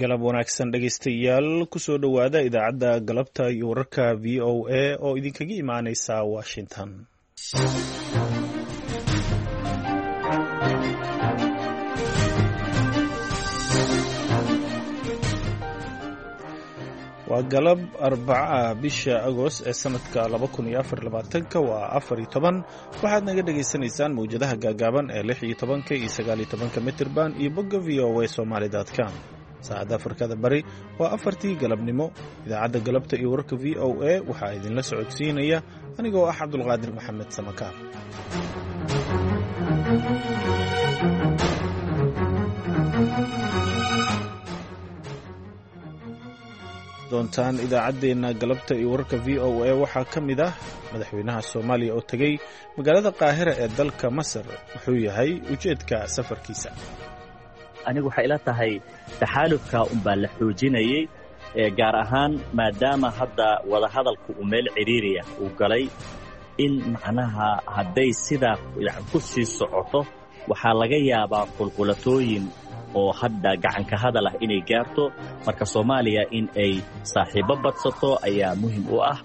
Galab wanaagsan, dhegaystayaal. Kusoo dhowaada idaacadda galabta iyo wararka VOA oo idinkaga imaaneysa Washington. Waa galab Arbaca, bisha Agost ee sanadka 2024-ka waa 14. Waxaad naga dhagaysanaysaan mawjadaha gaagaaban ee 16-ka iyo 19-ka mitirban iyo bogga VOA Somali com. Saacadda Afrikada Bari waa 4-tii galabnimo. Idaacadda galabta iyo wararka VOA waxaa idinla socodsiinaya anigoo ah Cabdulqaadir Maxamed Samakaar. Doontaan idaacaddeenna galabta iyo wararka VOA waxaa ka mid ah madaxweynaha Soomaaliya oo tegey magaalada Qaahira ee dalka Masar. Wuxuu yahay ujeedka safarkiisa? Anigu waxay ila tahay taxaalufka unbaa la xoojinayey, gaar ahaan maadaama hadda wadahadalku uu meel cidhiiriya uu galay, in macnaha hadday sidaa ku sii socoto waxaa laga yaabaa qulqulatooyin oo hadda gacanka hadal ah inay gaarto. Marka Soomaaliya in ay saaxiibbo badsato ayaa muhim u ah.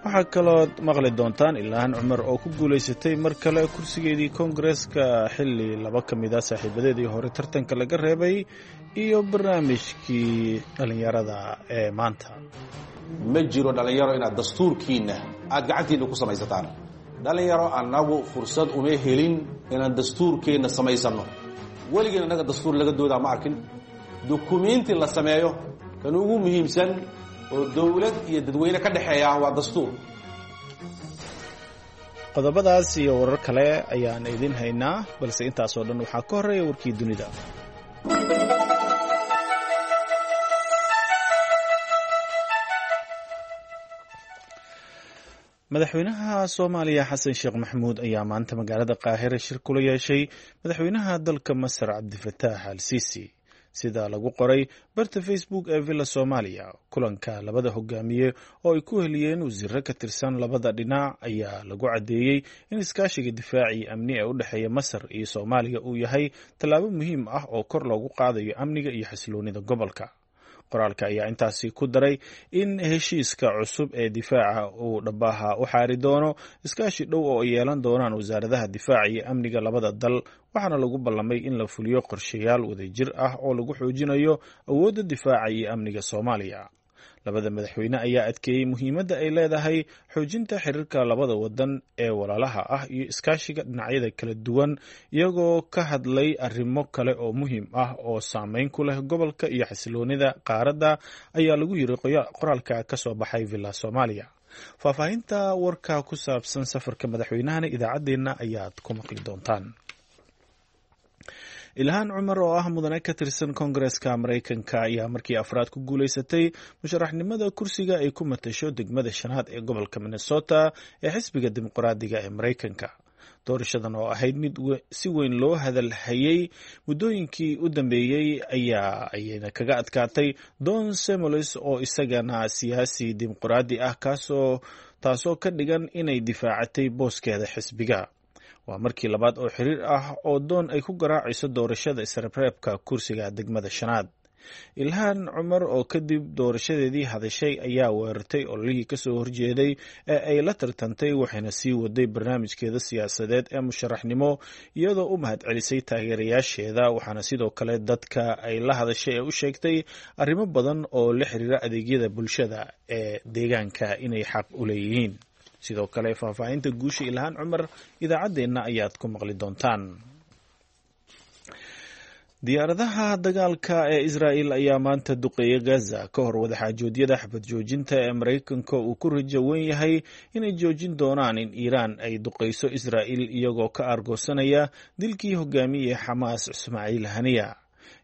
Waxaa kalood maqli doontaan Ilhaan Cumar oo ku guulaysatay mar kale kursigeedii Koongareeska, xilli laba ka mid a saaxiibadeedii hore tartanka laga reebay, iyo barnaamijkii dhallinyarada ee maanta. Ma jiro, dhallinyaro, inaad dastuurkiinna aad gacantiinna ku samaysataan. Dhallinyaro, annagu fursad uma helin inaan dastuurkeenna samaysanno. Weligeen annaga dastuur laga doodaa ma arkin. Dukumiinti la sameeyo kan ugu muhiimsan oo dowlad iyo dadweyne ka dhexeeya waa dastuur. Qodobadaas iyo warar kale ayaan idin haynaa, balse intaasoo dhan waxaa ka horreeya warkii dunida. Madaxweynaha Soomaaliya Xasan Sheekh Maxamuud ayaa maanta magaalada Qaahira shir kula yeeshay madaxweynaha dalka Masar Cabdifataax Al Siisi, sida lagu qoray barta Facebook ee Villa Soomaaliya. Kulanka labada hogaamiye oo ay ku heliyeen wasiiro ka tirsan labada dhinac ayaa lagu caddeeyey in iskaashiga difaaci amni ee u dhexeeya Masar iyo Soomaaliya uu yahay tallaabo muhiim ah oo kor loogu qaadayo amniga iyo xasiloonida gobolka. Qoraalka ayaa intaasi ku daray in heshiiska cusub ee difaaca uu dhabaha u xaari doono iskaashi dhow oo ay yeelan doonaan wasaaradaha difaaca iyo amniga labada dal, waxaana lagu ballamay in la fuliyo qorshayaal wadajir ah oo lagu xoojinayo awoodda difaaca iyo amniga Soomaaliya. Labada madaxweyne ayaa adkeeyey muhiimadda ay leedahay xoojinta xiriirka labada wadan ee walaalaha ah iyo iskaashiga dhinacyada kala duwan, iyagoo ka hadlay arrimo kale oo muhiim ah oo saameyn ku leh gobolka iyo xasiloonida qaaradda, ayaa lagu yiri qoraalka ka soo baxay Villa Soomaaliya. Faahfaahinta warka ku saabsan safarka madaxweynahana idaacaddeenna ayaad ku maqli doontaan. Ilhaan Cumar oo ah mudane ka tirsan Koongareeska Maraykanka ayaa markii afraad ku guulaysatay musharaxnimada kursiga ay ku matasho degmada shanaad ee gobolka Minnesota ee xisbiga Dimuqraadiga ee Maraykanka. Doorashadan oo ahayd mid si weyn loo hadalhayey muddooyinkii u dambeeyey ayaa ayna kaga adkaatay Don Samuels oo isagana siyaasi dimuqraadi ah, kaasoo taasoo ka dhigan inay difaacatay booskeeda xisbiga. Waa markii labaad oo xiriir ah oo Doon ay ku garaacayso doorashada isreebreebka kursiga degmada shanaad. Ilhaan Cumar oo kadib doorashadeedii hadashay ayaa weerartay ololihii kasoo horjeeday ee ay la tartantay, waxayna sii waday barnaamijkeeda siyaasadeed ee musharaxnimo, iyadoo u mahadcelisay taageerayaasheeda. Waxaana sidoo kale dadka ay la hadashay ee u sheegtay arrimo badan oo la xiriira adeegyada bulshada ee deegaanka inay xaq u leeyihiin. Sidoo kale faahfaahinta guusha Ilhaan Cumar idaacaddeenna ayaad ku maqli doontaan. Diyaaradaha dagaalka ee Israa'el ayaa maanta duqeeyay Gaza ka hor wadaxaajoodyada xabad joojinta ee Maraykanka uu ku rajo weyn yahay inay joojin doonaan in Iiraan ay duqeyso Israa'il, iyagoo ka aargoosanaya dilkii hogaamiyey Xamaas Ismaaciil Haniya.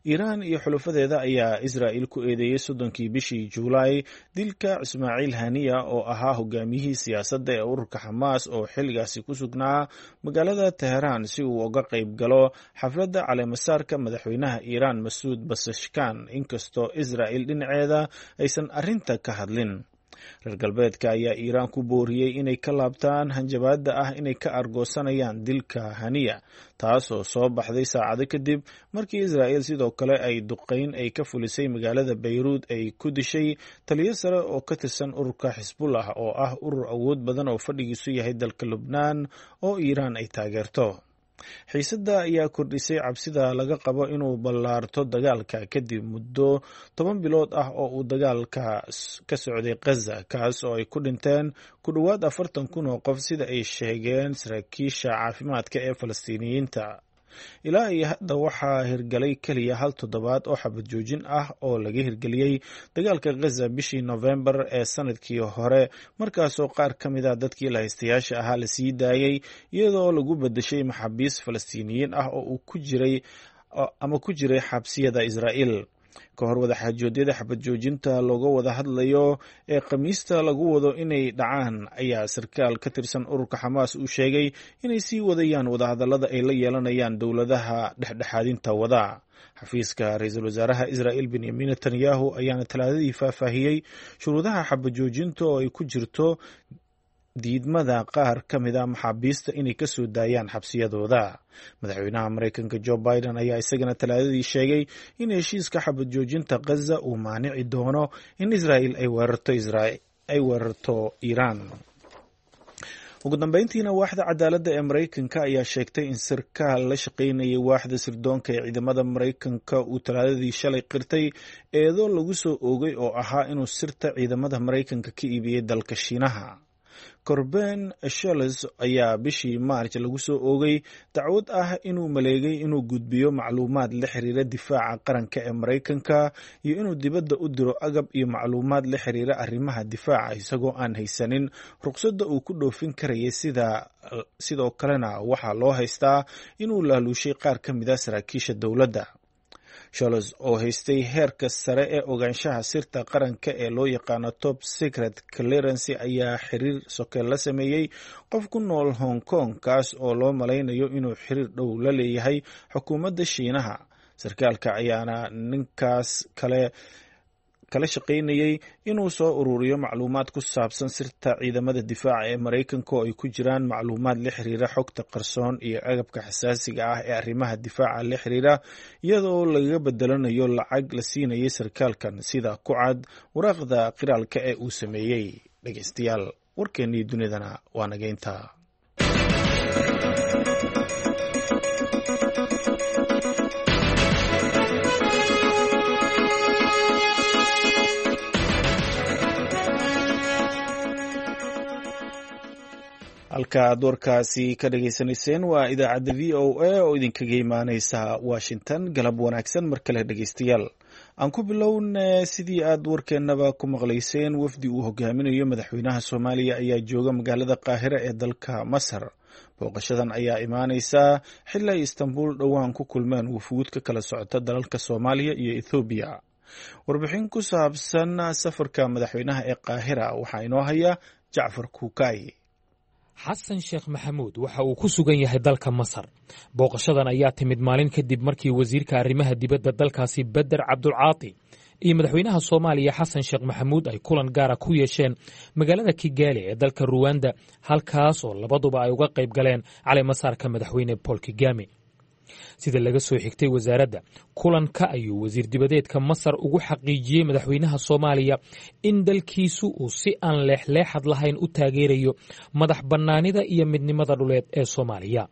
Iiraan iyo xulafadeeda ayaa Israa'il ku eedeeyey 30-kii bishii Juulaay dilka Ismaaciil Haniya oo ahaa hogaamiyihii siyaasadda ee ururka Xamaas oo xilligaasi ku sugnaa magaalada Teheraan si uu uga qayb galo xafladda caleemasaarka madaxweynaha Iiraan Masuud Basashkan, inkastoo Israa'il dhinaceeda aysan arrinta ka hadlin. Reer galbeedka ayaa Iiraan ku booriyey inay ka laabtaan hanjabaadda ah inay ka argoosanayaan dilka Haniya, taasoo soo baxday saacado kadib markii Israa'il sidoo kale ay duqeyn ay ka fulisay magaalada Bayruud ay ku dishay taliyo sare oo ka tirsan ururka Xisbullah, oo ah urur awood badan oo fadhigiisu yahay dalka Lubnaan oo Iiraan ay taageerto. Xiisadda ayaa kordhisay cabsida laga qabo inuu ballaarto dagaalka kadib muddo 10 bilood ah oo uu dagaalka ka socday Khaza, kaas oo ay ku dhinteen ku dhowaad 40,000 oo qof, sida ay sheegeen saraakiisha caafimaadka ee Falastiiniyiinta. Ilaa iyo hadda waxaa hirgalay keliya hal toddobaad oo xabad joojin ah oo laga hirgeliyey dagaalka Khaza bishii Nofembar ee sanadkii hore, markaasoo qaar ka mid a dadkii lahaystayaasha ahaa la sii daayey iyadoo lagu bedeshay maxaabiis Falastiiniyiin ah oo uu ku jiray ama ku jiray xabsiyada Israa'iil. Ka hor wadaxaajoodyada xabad joojinta looga wada hadlayo ee Khamiista lagu wado inay dhacaan ayaa sarkaal ka tirsan ururka Xamaas uu sheegay inay sii wadayaan wadahadallada ay la yeelanayaan dowladaha dhexdhexaadinta wada. Xafiiska ra-iisul wasaaraha Israa'il Benyamin Netanyahu ayaana Talaadadii faahfaahiyey shuruudaha xabad joojinta oo ay ku jirto diidmada qaar ka mid a maxaabiista inay ka soo daayaan xabsiyadooda. Madaxweynaha Maraykanka Joe Biden ayaa isagana Talaadadii sheegay in heshiiska xabad joojinta Khaza uu maanici doono in Israa'il ay weerarto Iiraan. Ugu dambeyntiina, waaxda cadaaladda ee Maraykanka ayaa sheegtay in sarkaal la shaqaynayay waaxda sirdoonka ee ciidamada Maraykanka uu Talaadadii shalay qirtay eedo lagu soo oogay oo ahaa inuu sirta ciidamada Maraykanka ka iibiyey dalka Shiinaha. Corben Sholes ayaa bishii Maarj lagu soo oogay dacwad ah inuu maleegay inuu gudbiyo macluumaad la xiriira difaaca qaranka ee Maraykanka iyo inuu dibadda u diro agab iyo macluumaad la xiriira arrimaha difaaca isagoo aan haysanin ruqsadda uu ku dhoofin karayay. Sidoo kalena waxaa loo haystaa inuu laaluushay qaar ka mid a saraakiisha dowladda. Sholes oo haystay heerka sare ee ogaanshaha sirta qaranka ee loo yaqaano top secret clearance ayaa xiriir soke la sameeyey qof ku nool Hong Kong, kaas oo loo malaynayo inuu xiriir dhow la leeyahay xukuumadda Shiinaha. Sarkaalka ayaana ninkaas kale kala shaqaynayay inuu soo ururiyo macluumaad ku saabsan sirta ciidamada difaaca ee Maraykanka, oo ay ku jiraan macluumaad la xiriira xogta qarsoon iyo agabka xasaasiga ah ee arrimaha difaaca la xiriira, iyadoo lagaga bedelanayo lacag la siinayay sarkaalkan, sida ku cad waraaqda qiraalka ee uu sameeyey. Dhegeystayaal, warkeennii dunidana waa nageynta. Halka aad warkaasi ka dhageysanayseen waa idaacadda VOA oo idinkaga imaaneysa Washington. Galab wanaagsan mar kale, dhegeystayaal. Aan ku bilowne, sidii aad warkeennaba ku maqlayseen, wafdi uu hogaaminayo madaxweynaha Soomaaliya ayaa jooga magaalada Qaahira ee dalka Masar. Booqashadan ayaa imaaneysa xili ay Istanbul dhowaan ku kulmeen wufuud ka kala socota dalalka Soomaaliya iyo Ethoobiya. Warbixin ku saabsan safarka madaxweynaha ee Qaahira waxaa inoo haya Jacfar Kuukay. Xasan Sheekh Maxamuud waxa uu ku sugan yahay dalka Masar. Booqashadan ayaa timid maalin kadib markii wasiirka arrimaha dibadda dalkaasi Beder Cabdulcaati iyo madaxweynaha Soomaaliya Xasan Sheekh Maxamuud ay kulan gaara ku yeesheen magaalada Kigaali ee dalka Ruwanda, halkaas oo labaduba ay uga qayb galeen caleemasaarka madaxweyne Paul Kigame. Sida laga soo xigtay wasaaradda, kulanka ayuu wasiir dibadeedka Masar ugu xaqiijiyey madaxweynaha Soomaaliya in dalkiisu uu si aan leexleexad lahayn u taageerayo madax bannaanida iyo midnimada dhuleed ee Soomaaliya.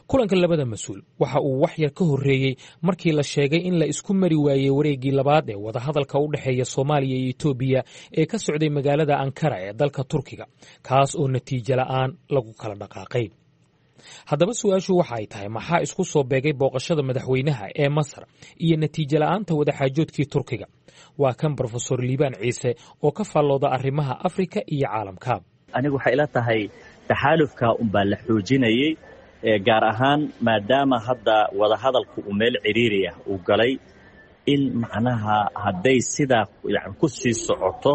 Kulanka labada mas-uul waxa uu wax yar ka horreeyey markii la sheegay in la isku mari waayey wareeggii labaad ee wadahadalka u dhexeeya Soomaaliya iyo Etoobiya ee ka socday magaalada Ankara ee dalka Turkiga, kaas oo natiijo la'aan lagu kala dhaqaaqay. Haddaba su-aashu waxa ay tahay, maxaa isku soo beegay booqashada madaxweynaha ee Masar iyo natiijo la'aanta wadaxaajoodkii Turkiga? Waa kan Brofesor Liibaan Ciise oo ka faallooda arrimaha Afrika iyo caalamka. Anigu waxay ila tahay taxaalufka unbaa la xoojinayey, gaar ahaan maadaama hadda wadahadalku uu meel cidhiiri ah uu galay, in macnaha hadday sidaa yani ku sii socoto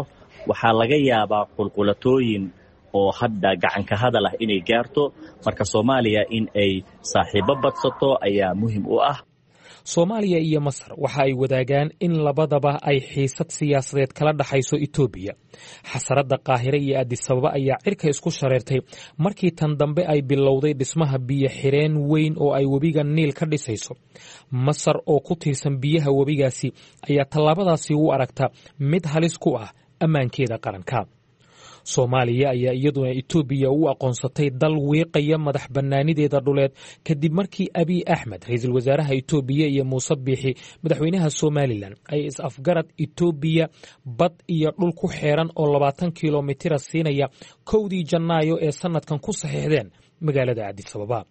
waxaa laga yaabaa qulqulatooyin oo hadda gacanka hadal ah inay gaarto. Marka Soomaaliya in ay saaxiibo badsato ayaa muhim u ah. Soomaaliya iyo Masar waxa ay wadaagaan in labadaba ay xiisad siyaasadeed kala dhaxayso Itoobiya. Xasaradda Qaahire iyo Adisababa ayaa cirka isku shareertay markii tan dambe ay bilowday dhismaha biyo xireen weyn oo ay webiga Niil ka dhisayso. Masar oo ku tiirsan biyaha webigaasi ayaa tallaabadaasi u aragta mid halis ku ah ammaankeeda qaranka. Soomaaliya ayaa iyaduna Itoobiya u aqoonsatay dal wiiqaya madax bannaanideeda dhuleed kadib markii Abiy Axmed, ra-iisul wasaaraha Itoobiya, iyo Muuse Biixi, madaxweynaha Somalilan, ay is-afgarad Itoobiya bad iyo dhul ku xeeran oo 20 kilomitira siinaya 1dii Janaayo ee sanadkan ku saxiixdeen magaalada Adisababa.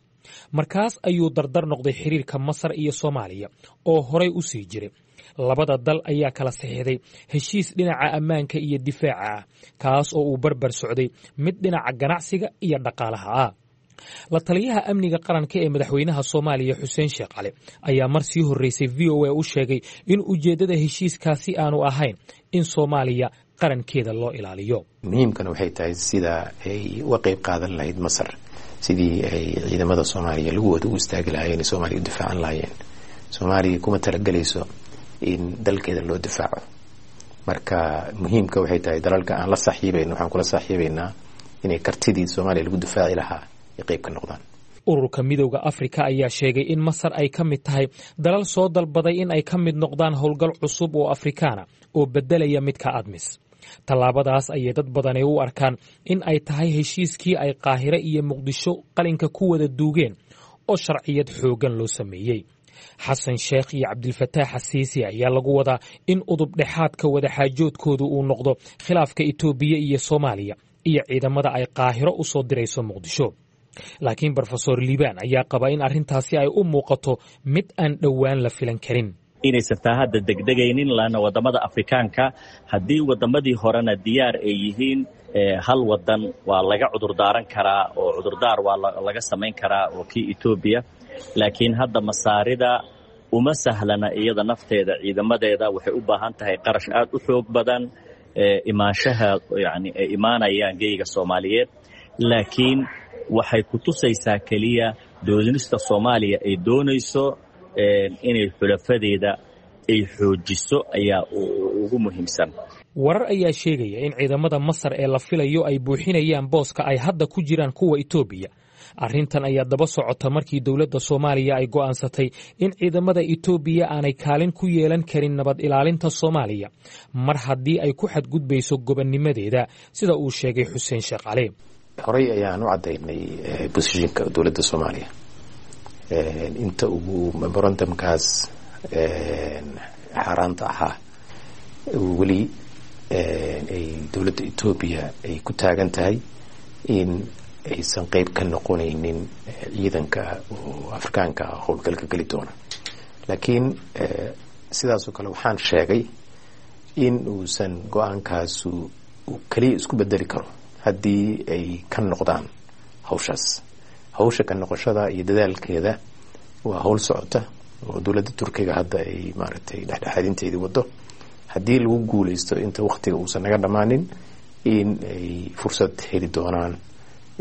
Markaas ayuu dardar noqday xiriirka Masar iyo Soomaaliya oo horay u sii jiray. Labada dal ayaa kala saxiixday heshiis dhinaca ammaanka iyo difaaca ah, kaas oo uu barbar socday mid dhinaca ganacsiga iyo dhaqaalaha ah. La taliyaha amniga qaranka ee madaxweynaha Soomaaliya, Xuseen Sheekh Cali, ayaa mar sii horreysay VOA u sheegay in ujeeddada heshiiskaasi aanu ahayn in Soomaaliya qarankeeda loo ilaaliyo. Muhiimkana waxay tahay sida ay uga qeyb qaadan lahayd Masar sidii ay ciidamada Soomaaliya lugahooda u istaagi lahaayeen, Soomaaliya u difaacan lahaayeen. Soomaaliya kuma talagelayso in dalkeeda loo difaaco. Marka muhiimka waxay tahay dalalka aan la saaxiibayno waxaan kula saaxiibaynaa inay kartidii Soomaaliya lagu difaaci lahaa ay qeyb ka noqdaan. Ururka Midowda Afrika ayaa sheegay in Masar ay ka mid tahay dalal soo dalbaday in ay ka mid noqdaan howlgal cusub oo Afrikaana oo beddelaya midka ADMIS. Tallaabadaas ayay dad badani u arkaan in ay tahay heshiiskii ay Qaahire iyo Muqdisho qalinka ku wada duugeen oo sharciyad xooggan loo sameeyey. Xasan Sheekh iyo Cabdilfataax Xasiisi ayaa lagu wadaa in udub dhexaadka wadaxaajoodkoodu uu noqdo khilaafka Itoobiya iyo Soomaaliya iyo ciidamada ay Qaahiro u soo dirayso Muqdisho. Laakiin Brofesor Liibaan ayaa qaba in arrintaasi ay u muuqato mid aan dhowaan la filan karin. Inaysan taa hadda degdegaynin, laanna waddamada Afrikaanka haddii waddamadii horena diyaar ay yihiin, hal wadan waa laga cudurdaaran karaa oo cudurdaar waa laga samayn karaa oo kii Etoobiya. Laakiin hadda Masaarida uma sahlana iyada nafteeda, ciidamadeeda waxay u baahan tahay qarash aad u xoog badan imaanshaha yani ay imaanayaan geyga Soomaaliyeed. Laakiin waxay ku tusaysaa keliya doonista Soomaaliya ay doonayso inay xulafadeeda ay xoojiso ayaa ugu muhiimsan. Warar ayaa sheegaya in ciidamada Masar ee la filayo ay buuxinayaan booska ay hadda ku jiraan kuwa Itoobiya. Arrintan ayaa daba socota markii dowladda Soomaaliya ay go'aansatay in ciidamada Itoobiya aanay kaalin ku yeelan karin nabad ilaalinta Soomaaliya mar haddii ay ku xadgudbayso gobonnimadeeda, sida uu sheegay Xuseen Sheekh Cali. Horey ayaan u caddaynay bosishinka dowladda Soomaaliya inta ugu memorandumkaas xaaraanta ahaa weli ay dowladda Etoobiya ay ku taagan tahay in aysan qeyb ka noqonaynin ciidanka oo Afrikaanka ah howlgalka geli doona. Laakiin sidaasoo kale waxaan sheegay in uusan go-aankaasu keliya isku bedeli karo haddii ay ka noqdaan hawshaas. Hawsha ka noqoshada iyo dadaalkeeda waa hawl socota oo dowladda Turkiga hadda ay maaragtay dhexdhexaadinteedii wado. Haddii lagu guuleysto inta waktiga uusan naga dhammaanin in ay fursad heli doonaan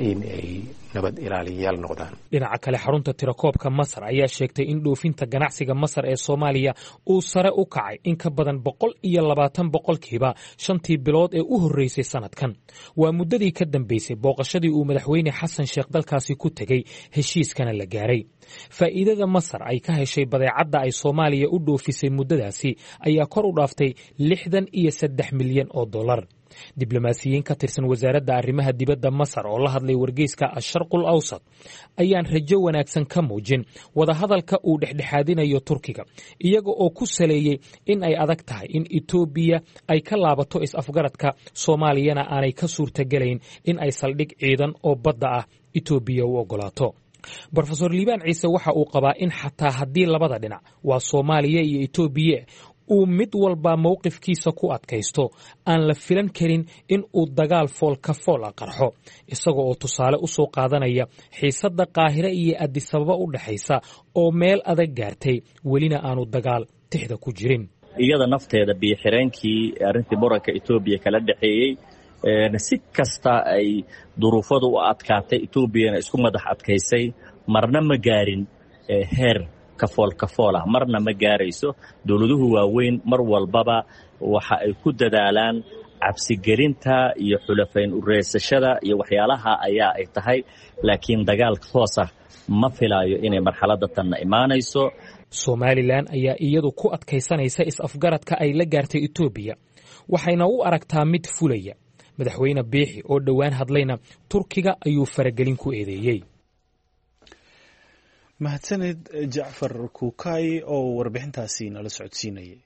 in ay nabad ilaaliyayaal noqdaan. Dhinaca kale, xarunta tirakoobka Masar ayaa sheegtay in dhoofinta ganacsiga Masar ee Soomaaliya uu sare u kacay in ka badan 120% shantii bilood ee u horreysay sanadkan. Waa muddadii ka dambeysay booqashadii uu madaxweyne Xasan Sheekh dalkaasi ku tegey, heshiiskana la gaaray. Faa'iidada Masar ay ka heshay badeecadda ay Soomaaliya u dhoofisay muddadaasi ayaa kor u dhaaftay 63 milyan oo dollar. Diblomaasiyiin ka tirsan wasaaradda arrimaha dibadda Masar oo la hadlay wargeyska Asharqul Awsat ayaan rajo wanaagsan ka muujin wadahadalka uu dhexdhexaadinayo Turkiga, iyaga oo ku saleeyey in ay adag tahay in Itoobiya ay ka laabato is-afgaradka, Soomaaliyana aanay ka suurtagelayn in ay saldhig ciidan oo badda ah Itoobiya u oggolaato. Brofesor Liibaan Ciise waxa uu qabaa in xataa haddii labada dhinac, waa Soomaaliya iyo Itoobiya, uu mid walba mowqifkiisa ku adkaysto, aan la filan karin in uu dagaal fool ka fool a qarxo, isaga oo tusaale u soo qaadanaya xiisadda Qaahire iyo Adisababa u dhexaysa oo meel adag gaartay, welina aanu dagaal tixda ku jirin. Iyada nafteeda biyo-xireenkii arrintii muranka Etoobiya kala dhexeeyey, si kasta ay duruufadu u adkaatay, Etoobiyana isku madax adkaysay, marna ma gaarin heer Kafool kafool ah marna ma gaarayso. Dowladuhu waaweyn mar walbaba waxa ay ku dadaalaan cabsigelinta iyo xulafayn ureysashada iyo waxyaalaha ayaa ay tahay, laakiin dagaal toos ah ma filaayo inay marxaladda tanna imaanayso. Somalilan ayaa iyadu ku adkaysanaysa is-afgaradka ay la gaartay Etoobiya, waxayna u aragtaa mid fulaya. Madaxweyne Biixi oo dhowaan hadlayna Turkiga ayuu faragelin ku eedeeyey. Mahadsaned Jacfar Kuukay oo warbixintaasi nala socodsiinayay.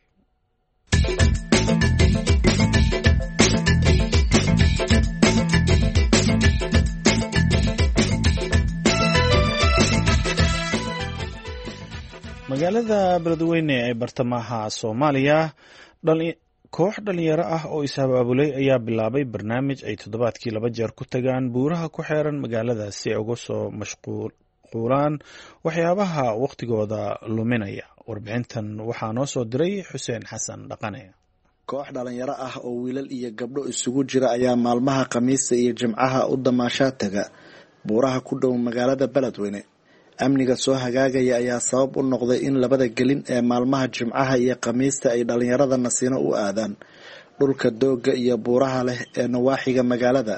Magaalada Beledweyne ee bartamaha Soomaaliya, koox dhalinyaro ah oo is-abaabulay ayaa bilaabay barnaamij ay toddobaadkii 2 jeer ku tagaan buuraha ku xeeran magaalada si ay uga soo mashquulaan waxyaabaha wakhtigooda luminaya. Warbixintan waxaa noo soo diray Xuseen Xasan Dhaqane. Koox dhalinyaro ah oo wiilal iyo gabdho isugu jira ayaa maalmaha Khamiista iyo Jimcaha u damaashaa taga buuraha ku dhow magaalada Beledweyne. Amniga soo hagaagaya ayaa sabab u noqday in labada gelin ee maalmaha Jimcaha iyo Khamiista ay dhalinyarada nasiino u aadaan dhulka doogga iyo buuraha leh ee nawaaxiga magaalada,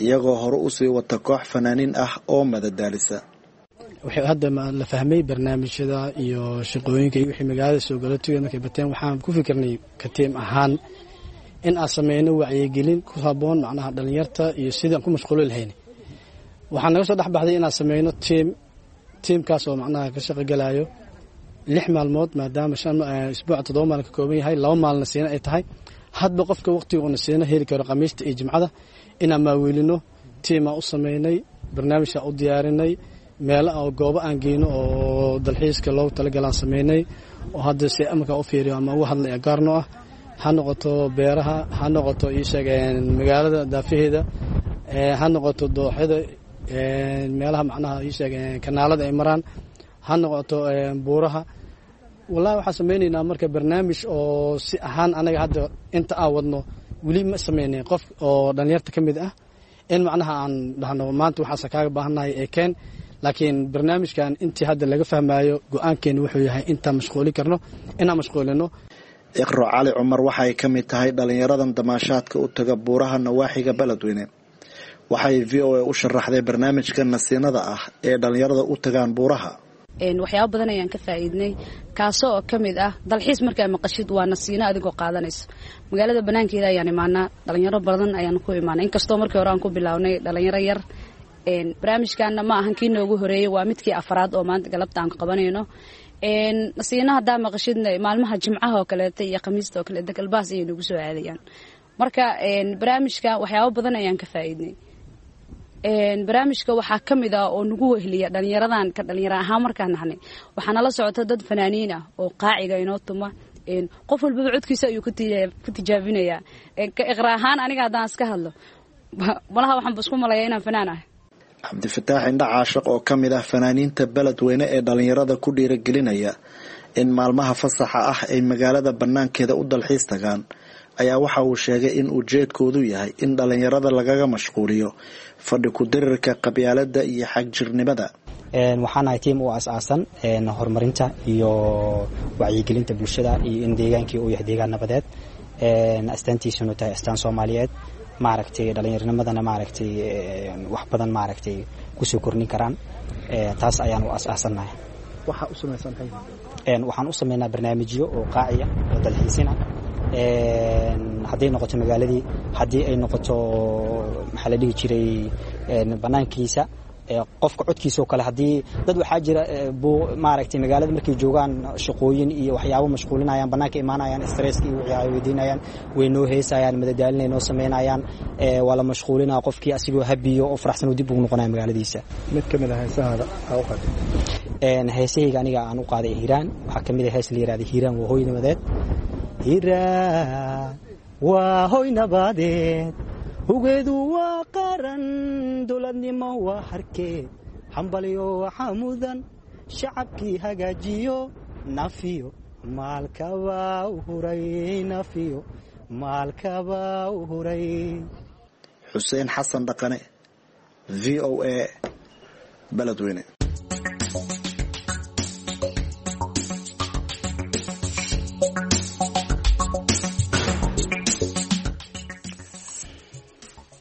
iyagoo hore usii wata koox fanaaniin ah oo madadaalisa. Waxay hadda la fahmay barnaamijyada iyo shaqooyinka iyo wixii magaalada soo gala tugay markay bateen, waxaan ku fikirnay katiim ahaan in aan sameyno wacyigelin ku haboon macnaha dhalinyarta iyo sidii aan ku mashquuli lahayn. Waxaa naga soo dhexbaxday inaan sameyno tiim, tiimkaas oo macnaha ka shaqogalayo 6 maalmood, maadaama isbuuca 7 maalin ka kooban yahay, 2 maalina siina ay tahay. Hadba qofka waqtiga uuna siina heli karo Khamiista iyo Jimcada inaan maaweelino. Tiimaa u sameynay, barnaamijaa u diyaarinay, meelo oo goobo aan geyno oo dalxiiska loogu talagalaan sameynay, oo hadda si amarkaa u fiiriyo ama uga hadlay gaarno ah, ha noqoto beeraha, ha noqoto iisheeg magaalada daafaheeda, ha noqoto dooxyada, meelaha macnaha iisheeg kanaalada ay maraan, ha noqoto buuraha. Wallahi waxaan sameynaynaa marka barnaamij oo si ahaan anaga hadda inta aan wadno weli ma sameynayn qof oo dhalinyarta ka mid ah in macnaha aan dhahno maanta waxaase kaaga baahannahay ee keen. Laakiin barnaamijkan intii hadda laga fahmayo, go-aankeena wuxuu yahay intaan mashquuli karno inaan mashquulino. Iqro Cali Cumar waxay ka mid tahay dhalinyaradan damaashaadka u taga buuraha nawaaxiga Beledweyne. Waxay VOA u sharaxday barnaamijka nasiinada ah ee dhalinyarada u tagaan buuraha. Waxyaaba badan ayaan ka faa'iidnay, kaasoo oo ka mid ah dalxiis. Markaa maqashid waa nasiino adigoo qaadanayso. Magaalada banaankeeda ayaan imaanaa, dhalinyaro badan ayaan ku imaanay, inkastoo markii hore aan ku bilownay dhalinyaro yar. Barnaamijkaana ma ahan kii noogu horeeyey, waa midkii afraad oo maanta galabta aan qabanayno. Nasiino haddaa maqashidna maalmaha Jimcaha oo kaleeta iyo Khamiista oo kaleeta galbaas ayay nagu soo aadayaan. Marka barnaamijka waxyaaba badan ayaan ka faa'iidnay. Barnaamijka waxaa ka mid ah oo nagu wehliya dhalinyaradan ka dhalinyaro ahaan markaan nahnay, waxaa nala socota dad fanaaniin ah oo qaaciga inoo tuma. Qof walbaba codkiisa ayuu ku tijaabinayaa. Iqra ahaan aniga haddaan iska hadlo, malaha waxaanba isku malayaa inaan fanaan ahay. Cabdifataax Indha Caashiq oo ka mid ah fanaaniinta Beledweyne ee dhalinyarada ku dhiiragelinaya in maalmaha fasaxa ah ay magaalada banaankeeda u dalxiis tagaan ayaa waxa uu sheegay in ujeedkoodu yahay in dhalinyarada lagaga mashquuliyo fadhi ku-dirirka, qabyaaladda iyo xagjirnimada. Waxaan ahay tiim u aas-aasan horumarinta iyo wacyigelinta bulshada iyo in deegaankii uu yahay deegaan nabadeed, astaantiisuna tahay astaan Soomaaliyeed, maaragtay dhallinyarnimadana maaragtay wax badan maaragtay kusoo kordhin karaan. Taas ayaan u aas-aasannahay. Waxaan u sameynaa barnaamijyo oo qaaciya oo dalxiisina, hadday noqoto magaaladii, haddii ay noqoto maxaa la dhihi jiray banaankiisa, qofka codkiisa oo kale. Haddii dad waxaa jira maaragtay magaalada markay joogaan shaqooyin iyo waxyaabo mashquulinayaan, bannaanka imaanayaan, stresska iyo wixii ay weydiinayaan, way noo heesayaan, madadaalinay noo samaynayaan, waa la mashquulinaa qofkii, asigoo habiyo oo faraxsan oo dib ugu noqonaya magaaladiisa. Mid ka mid ah heesahaada aa u qaaday? Heesahayga aniga aan u qaaday Hiiraan waxaa ka mid ah hees la yihahda Hiiraan waa hooy nabadeed. Hiiraan waa hoy nabadeed, hugeedu waa qaran, dowladnimo waa harkeed, hambalyo waxaa mudan shacabkii hagaajiyo, nafiyo maalkabaa u huray, nafiyo maalkabaa u huray. Xuseen Xasan Dhaqane, VOA, Beledweyne.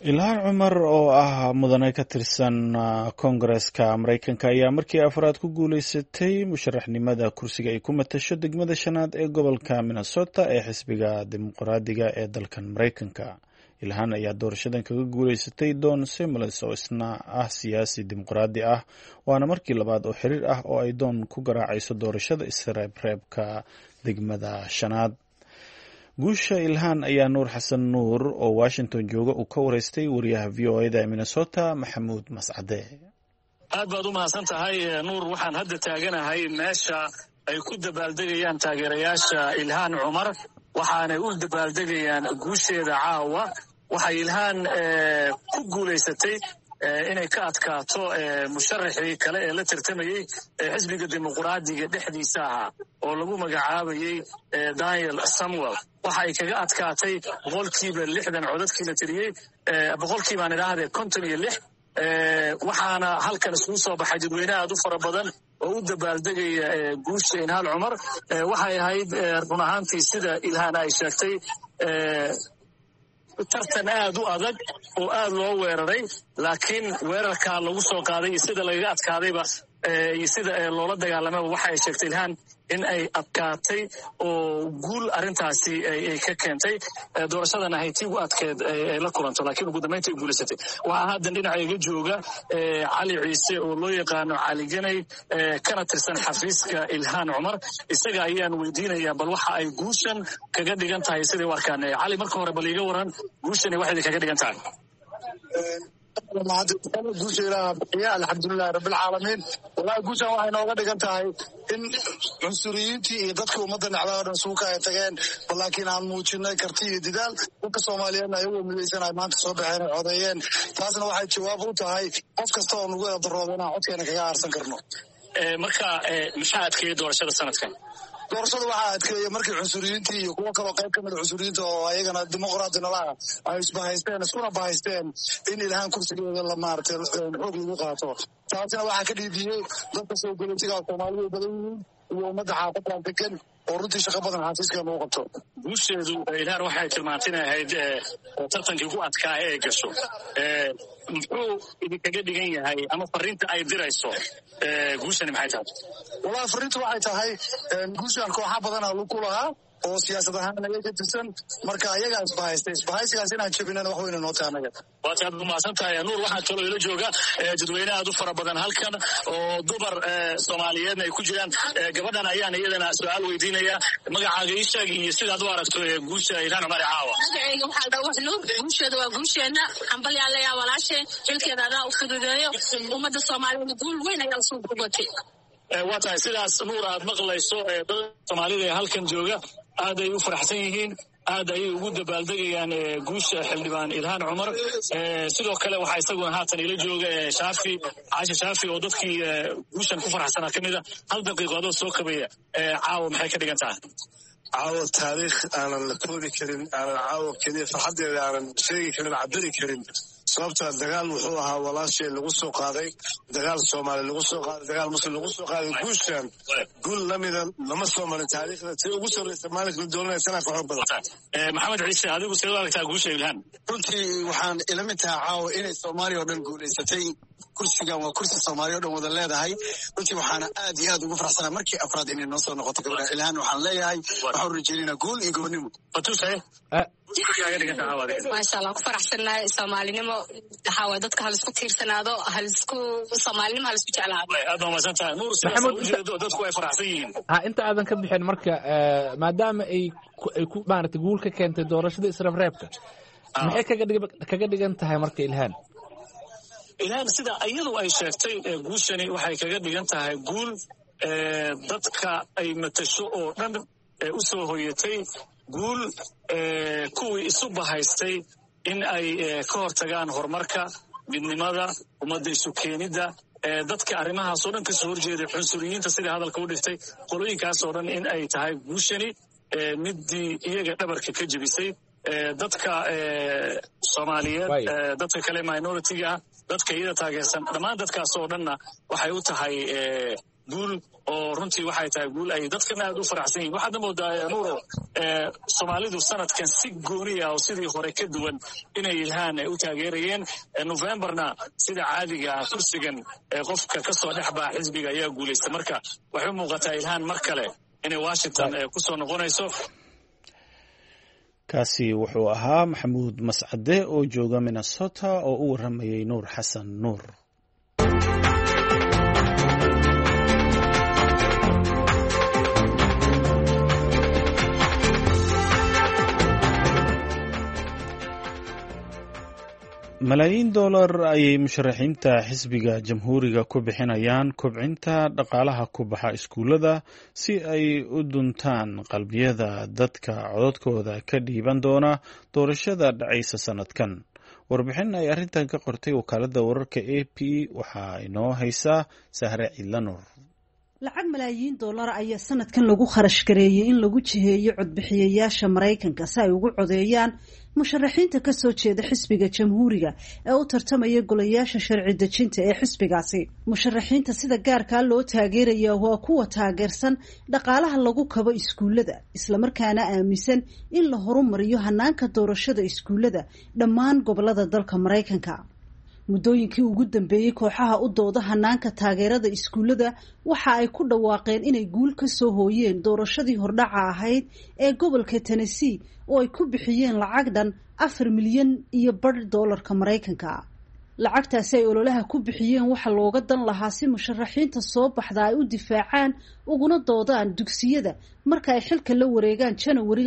Ilhaan Cumar oo ah mudane ka tirsan koongareska Maraykanka ayaa markii afraad ku guuleysatay musharaxnimada kursiga ay ku matasho degmada shanaad ee gobolka Minnesota ee xisbiga Dimuqraadiga ee dalkan Maraykanka. Ilhaan ayaa doorashadan kaga guuleysatay Don Samuels oo isna ah siyaasi dimuqraadi ah, waana markii labaad oo xiriir ah oo ay Don ku garaacayso doorashada isreebreebka degmada shanaad. Guusha Ilhaan ayaa Nuur Xasan Nuur oo Washington jooga uu ka wareystay wariyaha VOA-da ee Minnesota, Maxamuud Mascade. Aad baad u mahadsan tahay, Nuur. Waxaan hadda taaganahay meesha ay ku dabaaldegayaan taageerayaasha Ilhaan Cumar, waxaanay u dabaaldegayaan guusheeda caawa. Waxay Ilhaan ku guulaysatay inay ka adkaato musharaxii kale ee la tartamayey ee xisbiga Dimuqraadiga dhexdiisa ahaa oo lagu magacaabayey Daniel Samuel. Waxa ay kaga adkaatay 60% codadkii la tiriyey, boqolkiibaan idhaahdee 56. Waxaana halkan isugu soo baxay dadweyne aad u fara badan oo u dabaaldegaya guusha Ilhaan Cumar. Waxay ahayd run ahaantii, sida Ilhaan ay sheegtay, tartan aad u adag oo aad loo weeraray, laakiin weerarkaa lagu soo qaaday iyo sida lagaga adkaadayba iyo sida loola dagaalamaba, waxa ay sheegtay Ilhaan in ay adkaatay oo guul arrintaasi ay ka keentay. Doorashadan ahayd tii ugu adkeed ay la kulanto, laakiin ugu dambaynta ay guulaysatay. Waxaa haddan dhinaca iga jooga Cali Ciise oo loo yaqaano Cali Ganay, kana tirsan xafiiska Ilhaan Cumar. Isaga ayaan weydiinayaa bal waxa ay guushan kaga dhigan tahay siday u arkaan. Cali, marka hore bal iiga waran guushani waxay kaga dhigan tahay. Guusha Ilaaha bixiya, alxamdulilahi rabbilcaalamiin. Wallahi guushan waxay nooga dhigan tahay in cunsuriyiintii iyo dadkii ummadda necdaa o dhan suuka ay tageen, bal laakiin aan muujinay karti iyo didaal. Dadka Soomaaliyeedna ayagoo midaysan ay maanta soo baxeen ay codeeyeen. Taasna waxay jawaab u tahay qof kasta oo nagu eedarooba inaan codkeena kaga aarsan karno. Marka maxaa adkeeyey doorashada sanadkan? Doorashada waxaa adkeeyey markii cunsuriyiintii iyo kuwo kaloo qayb ka mida cunsuriyiinta oo ayagana dimuqraadi nalaha ay isbahaysteen, iskuna bahaysteen in Ilhaan kursigeeda la maaragtay xoog lagu qaato. Taasina waxaa ka dhiibiyey dadka soo galootiga Soomaalidu ay badan yihiin iyo ummadda xaafadan degan oo runtii shaqo badan xafiiska lagu qabto. Guusheedu Ilhaan waxay tilmaantay inay ahayd tartankii ugu adkaa ee ay gasho. Muxuu idinkaga dhigan yahay ama fariinta ay dirayso guushani maxay tahay? Wallahi fariintu waxay tahay guushan kooxa badana lug ku lahaa oo siyaasad ahaan naga ka tirsan, marka ayagaa isbahaystay, isbahaysigaas inaan jebinana wax weyna noo tahay anaga. Waata aad umahadsan tahay, Nuur. Waxaa kaloo ila jooga dadweyne aad u fara badan halkan oo dumar Soomaaliyeedna ay ku jiraan. Gabadhan ayaan iyadana su-aal weydiinaya. Magacaaga ii sheeg iyo sidaad u aragto guusha Ilhaan Cumar caawa. Magacayga waxaa la dhahaa Nuur. Guusheeda waa guusheena. Hambalyaa leeyaa walaasheen, xilkeeda adaa u fududeeyo. Ummadda Soomaaliyeed guul weyn ayaa usoo gubatay. Waa tahay sidaas, Nuur, aad maqlayso dadka Soomaalida ee halkan jooga aad ay u faraxsan yihiin, aad ayay ugu dabaaldegayaan guusha xildhibaan Ilhaan Cumar. Sidoo kale waxaa isaguna haatan ila jooga Shaafi Caashi Shaafi oo dadkii guushan ku faraxsanaa ka mida. Hal daqiiqo adoo soo kabaya, caawa maxay ka dhigan tahay? Caawo taariikh aanan la koobi karin, aanan caawo keliya farxaddeeda aanan sheegi karin, cabiri karin, sababtaa dagaal wuxuu ahaa walaashay lagu soo qaaday, dagaal Soomaali lagu soo qaaday, dagaal Muslim lagu soo qaaday. Guushan guul lamida lama soo marin taariikhda, si ugu sarreysa maalinka la doolanaya sanaa ka xoog badan. Maxamed Ciise, adigu sidee u aragtaa guusha Ilhaan? Runtii waxaan ila mid tahay caawa inay Soomaaliya oo dhan guulaysatay. Kursigan waa kursi Soomaaliya o dhan wada leedahay. Runtii waxaana aad iyo aad ugu faraxsanaa markii afraad inay noo soo noqoto gabadha Ilhaan. Waxaan leeyahay waxaan rajeynayna guul iyo gobonimo. Maasha Allah, ku faraxsannahay Soomaalinimo. Waxaa waay dadka halisku tiirsanaado, halisku Soomaalinimo halisku jeclaado. Aad baa mahadsan tahay, Nuur. Sidaas ujeedo dadku ay faraxsan yihiin. Ha, inta aadan ka bixin marka, maadaama ay ku maaragtay guul ka keentay doorashada isreebreebka, maxay kaga dhigan tahay marka Ilhaan? Ilhaan sida iyadu ay sheegtay, guushani waxay kaga dhigan tahay guul dadka ay matasho oo dhan u soo hoyatay, guul kuwii isu bahaystay in ay ka hortagaan horumarka, midnimada ummadda, isu keenidda dadka, arrimahaas oo dhan kasoo horjeeday, cunsuriyiinta sidai hadalka u dhigtay, qolooyinkaas oo dhan in ay tahay guushani middii iyaga dhabarka ka jebisay. Dadka Soomaaliyeed, dadka kale minoritiga ah, dadka iyada taageersan, dhammaan dadkaas oo dhanna waxay u tahay Guul oo runtii waxay tahay guul ay dadkana aad u faraxsan yihin. Waxaadna moodaa, Nuuro, Soomaalidu sanadkan si gooni ah oo sidii hore ka duwan inay Ilhaan u taageerayeen. Novemberna sida caadiga ah kursigan qofka kasoo dhex baxa xisbiga ayaa guulaysta. Marka waxay u muuqataa Ilhaan mar kale inay Washington kusoo noqonayso. Kaasi wuxuu ahaa Maxamuud Mascade oo jooga Minnesota oo u warramayay Nuur Xasan Nuur. Malaayiin dollar ayay musharaxiinta xisbiga Jamhuuriga ku bixinayaan kobcinta dhaqaalaha ku baxa iskuullada si ay u duntaan qalbiyada dadka codadkooda ka dhiiban doona doorashada dhacaysa sannadkan. Warbixin ay arrintan ka qortay wakaaladda wararka AP waxaa inoo haysaa Sahre Ciidlanuur. Lacag malaayiin dollar ayaa sanadkan lagu kharash gareeyey in lagu jiheeyo codbixiyayaasha Maraykanka si ay ugu codeeyaan musharaxiinta kasoo jeeda xisbiga Jamhuuriga ee u tartamaya golayaasha sharci dejinta ee xisbigaasi. Musharaxiinta sida gaarkaa loo taageeraya waa kuwa taageersan dhaqaalaha lagu kabo iskuullada, islamarkaana aaminsan in la horumariyo hanaanka doorashada iskuullada dhammaan gobolada dalka Maraykanka. Muddooyinkii ugu dambeeyey, kooxaha u dooda hanaanka taageerada iskuullada waxa ay ku dhawaaqeen inay guul ka soo hooyeen doorashadii hordhaca ahayd ee gobolka Tennessee oo ay ku bixiyeen lacag dhan 4.5 milyan doolarka Maraykanka. Lacagtaasi ay ololaha ku bixiyeen waxaa looga dan lahaa si musharaxiinta soo baxda ay u difaacaan uguna doodaan dugsiyada marka ay xilka la wareegaan Janawari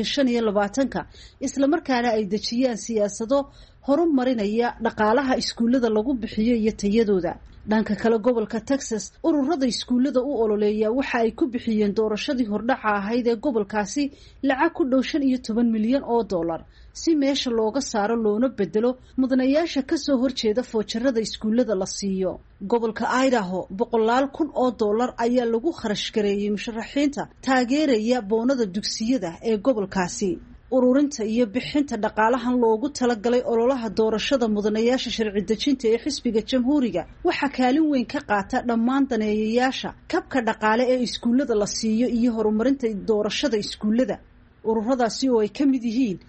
2025-ka, islamarkaana ay dejiyaan siyaasado horumarinaya dhaqaalaha iskuullada lagu bixiyo iyo tayadooda. Dhanka kale, gobolka Texas, ururada iskuullada u ololeeya waxa ay ku bixiyeen doorashadii hordhaca ahayd ee gobolkaasi lacag ku dhow 15 milyan oo dollar si meesha looga saaro loona bedelo mudanayaasha kasoo horjeeda foojarada iskuullada la siiyo. Gobolka Idaho, boqolaal kun oo dollar ayaa lagu kharash gareeyey musharaxiinta taageeraya boonada dugsiyada ee gobolkaasi. Ururinta iyo bixinta dhaqaalahan loogu talagalay ololaha doorashada mudanayaasha sharci dejinta ee xisbiga Jamhuuriga waxaa kaalin weyn ka qaata dhammaan daneeyayaasha kabka dhaqaale ee iskuullada la siiyo iyo horumarinta doorashada iskuullada. Ururadaasi oo ay ka mid yihiin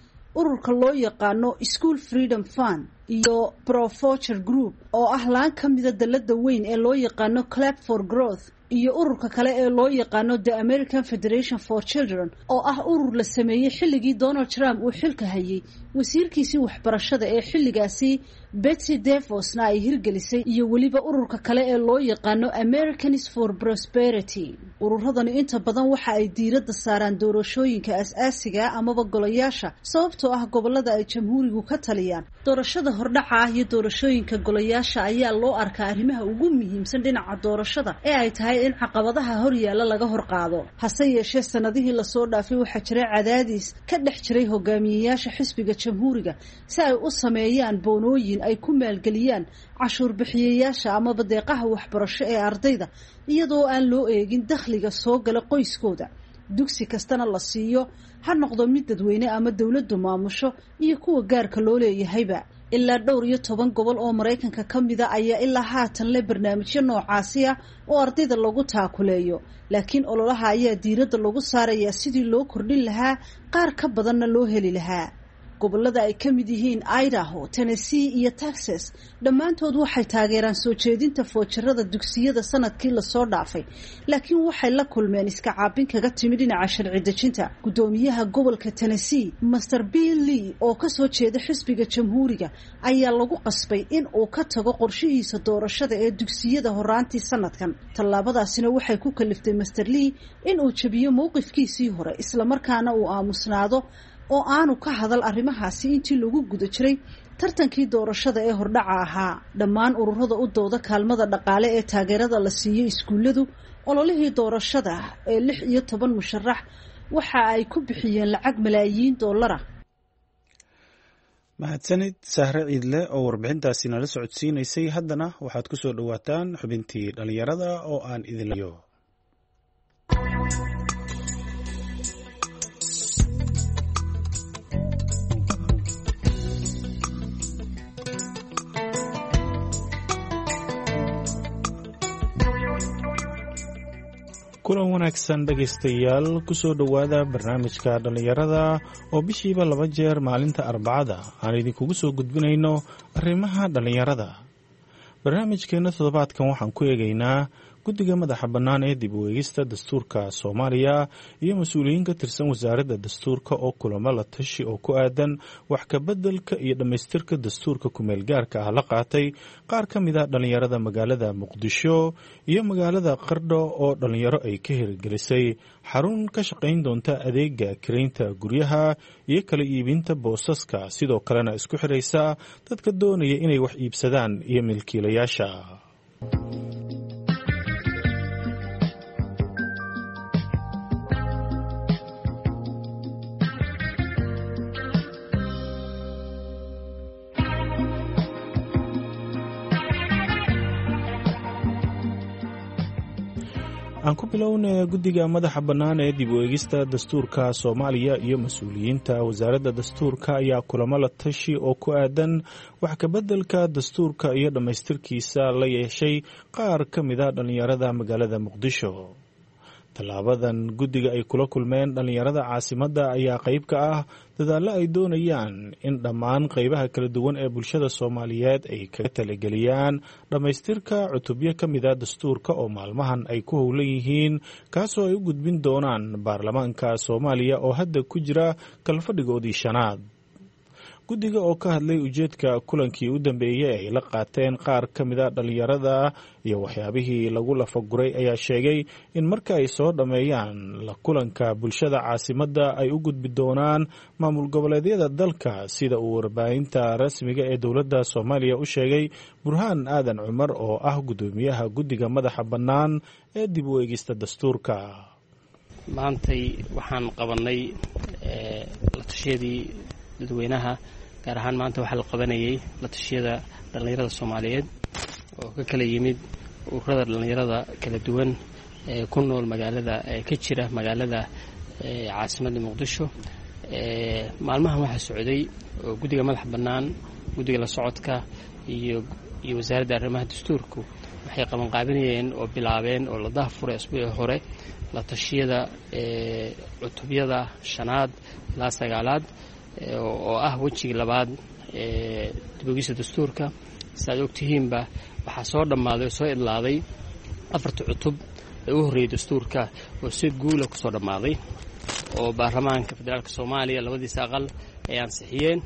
ururka loo yaqaano School Freedom Fund iyo Pro Voucher Group oo ah laan ka mida dalada weyn ee loo yaqaano Clap for Growth, iyo ururka kale ee loo yaqaano The American Federation for Children oo ah urur la sameeyey xilligii Donald Trump uu xilka hayay, wasiirkiisii waxbarashada ee xilligaasi Betsy DeVosna ay hirgelisay, iyo weliba ururka kale ee loo yaqaano Americans for Prosperity. Ururadani inta badan waxa ay diiradda saaraan doorashooyinka as-aasiga amaba golayaasha, sababtoo ah gobolada ay Jamhuurigu ka taliyaan doorashada hordhaca ah iyo doorashooyinka golayaasha ayaa loo arkaa arrimaha ugu muhiimsan dhinaca doorashada ee ay tahay in caqabadaha horyaalla laga horqaado. Hase yeeshee, sanadihii lasoo dhaafay waxaa jiray cadaadis ka dhex jiray hogaamiyeyaasha xisbiga Jamhuuriga si ay u sameeyaan boonooyin ay ku maalgeliyaan cashuur bixiyayaasha amaba deeqaha waxbarasho ee ardayda, iyadoo aan loo eegin dakhliga soo gala qoyskooda, dugsi kastana la siiyo, ha noqdo mid dadweyne ama dowladdu maamusho iyo kuwa gaarka loo leeyahayba. Ilaa dhowr iyo toban gobol oo Maraykanka ka mida ayaa ilaa haatan leh barnaamijyo noocaasi ah oo ardayda lagu taakuleeyo, laakiin ololaha ayaa diiradda lagu saarayaa sidii loo kordhin lahaa, qaar ka badanna loo heli lahaa. Gobolada ay ka mid yihiin Idaho, Tennessee iyo Texas dhammaantood waxay taageeraan soo jeedinta foojarada dugsiyada sanadkii lasoo dhaafay, laakiin waxay la kulmeen iska caabin kaga timi dhinaca sharci dejinta. Guddoomiyaha gobolka Tennessee, Master Bill Lee, oo kasoo jeeda xisbiga Jamhuuriga, ayaa lagu qasbay in uu ka tago qorshihiisa doorashada ee dugsiyada horaantii sanadkan. Tallaabadaasina waxay ku kaliftay Master Lee in uu jabiyo mowqifkiisii hore, islamarkaana uu aamusnaado oo aanu ka hadal arrimahaasi intii lagu guda jiray tartankii doorashada ee hordhaca ahaa. Dhammaan ururada u dooda kaalmada dhaqaale ee taageerada la siiyo iskuulladu ololihii doorashada ee 16 musharax waxa ay ku bixiyeen lacag malaayiin dollara. Mahadsanid Sahre Ciidle oo warbixintaasi nala socodsiinaysay. Haddana waxaad ku soo dhowaataan xubintii dhallinyarada oo aan idinlayo. Kulan wanaagsan dhegaystayaal, kusoo dhowaada barnaamijka dhallinyarada oo bishiiba 2 jeer maalinta Arbacada aan idinkugu soo gudbinayno arrimaha dhallinyarada. Barnaamijkeenna toddobaadkan waxaan ku eegaynaa guddiga madaxa bannaan ee dib u eegista dastuurka Soomaaliya iyo mas-uuliyiin ka tirsan wasaaradda dastuurka oo kulamo la tashi oo ku aadan wax kabeddelka iyo dhammaystirka dastuurka kumeelgaarka ah la qaatay qaar ka mid a dhallinyarada magaalada Muqdisho iyo magaalada Qardho oo dhallinyaro ay ka hirgelisay xarun ka shaqayn doonta adeega kiraynta guryaha iyo kala iibinta boosaska, sidoo kalena isku xiraysa dadka doonaya inay wax iibsadaan iyo milkiilayaasha. Aan ku bilowna guddiga madaxa bannaan ee dib u eegista dastuurka Soomaaliya iyo mas-uuliyiinta wasaaradda dastuurka ayaa kulamo la tashi oo ku aadan wax kabeddelka dastuurka iyo dhammaystirkiisa la yeeshay qaar ka mid a dhallinyarada magaalada Muqdisho. Tallaabadan guddiga ay kula kulmeen dhallinyarada caasimadda ayaa qayb ka ah dadaallo ay doonayaan in dhammaan qaybaha kala duwan ee bulshada Soomaaliyeed ay kaga talageliyaan dhammaystirka cutubyo ka mid a dastuurka oo maalmahan ay ku howlan yihiin, kaasoo ay u gudbin doonaan baarlamaanka Soomaaliya oo hadda ku jira kalfadhigoodii 5aad. Guddiga oo ka hadlay ujeedka kulankii u dambeeyey ay la qaateen qaar ka mid a dhallinyarada iyo waxyaabihii lagu lafaguray ayaa sheegay in marka ay soo dhammeeyaan la kulanka bulshada caasimadda ay u gudbi doonaan maamul goboleedyada dalka, sida uu warbaahinta rasmiga ee dowladda Soomaaliya u sheegay Burhaan Aadan Cumar oo ah guddoomiyaha guddiga madaxa bannaan ee dib u eegista dastuurka. Maantay waxaan qabanay la tashiyadii dadweynaha, gaar ahaan maanta waxaa la qabanayay la tashiyada dhallinyarada Soomaaliyeed oo ka kala yimid ururada dhallinyarada kala duwan ee ku nool magaalada, ee ka jira magaalada caasimadda Muqdisho. Maalmahan waxaa socday oo guddiga madaxa bannaan, guddiga la socodka iyo wasaaradda arrimaha dastuurku waxay qabanqaabinayeen oo bilaabeen oo la daahfuray asbuucii hore la tashiyada cutubyada 5aad ilaa 9aad oo ah wejigii labaad ee dib-u-eegista dastuurka. Si aad ogtihiinba waxaa soo dhammaaday oo soo idlaaday 4ta cutub ee u horreeyay dastuurka oo si guula kusoo dhammaaday oo baarlamaanka federaalka Soomaaliya labadiisa aqal ay ansixiyeen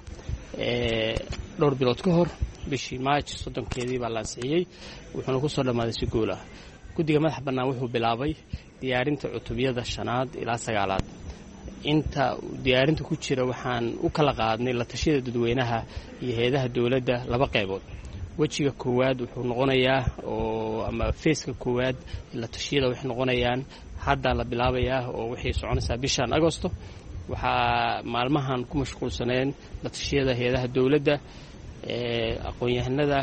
dhowr bilood ka hor. Bishii Maaj 30keedii baa la ansixiyey, wuxuuna kusoo dhammaaday si guul ah. Guddiga madaxa bannaan wuxuu bilaabay diyaarinta cutubyada 5aad ilaa 9aad. Inta diyaarinta ku jira waxaan u kala qaadnay la tashiyada dadweynaha iyo hay-adaha dowladda 2 qaybood. Wejiga koowaad wuxuu noqonayaa oo ama feeska koowaad la tashiyada waxay noqonayaan hadda la bilaabayaa oo waxay soconaysaa bishan Agosto. Waxaa maalmahan ku mashquulsaneen la tashiyada hay-adaha dowladda, aqoon-yahanada,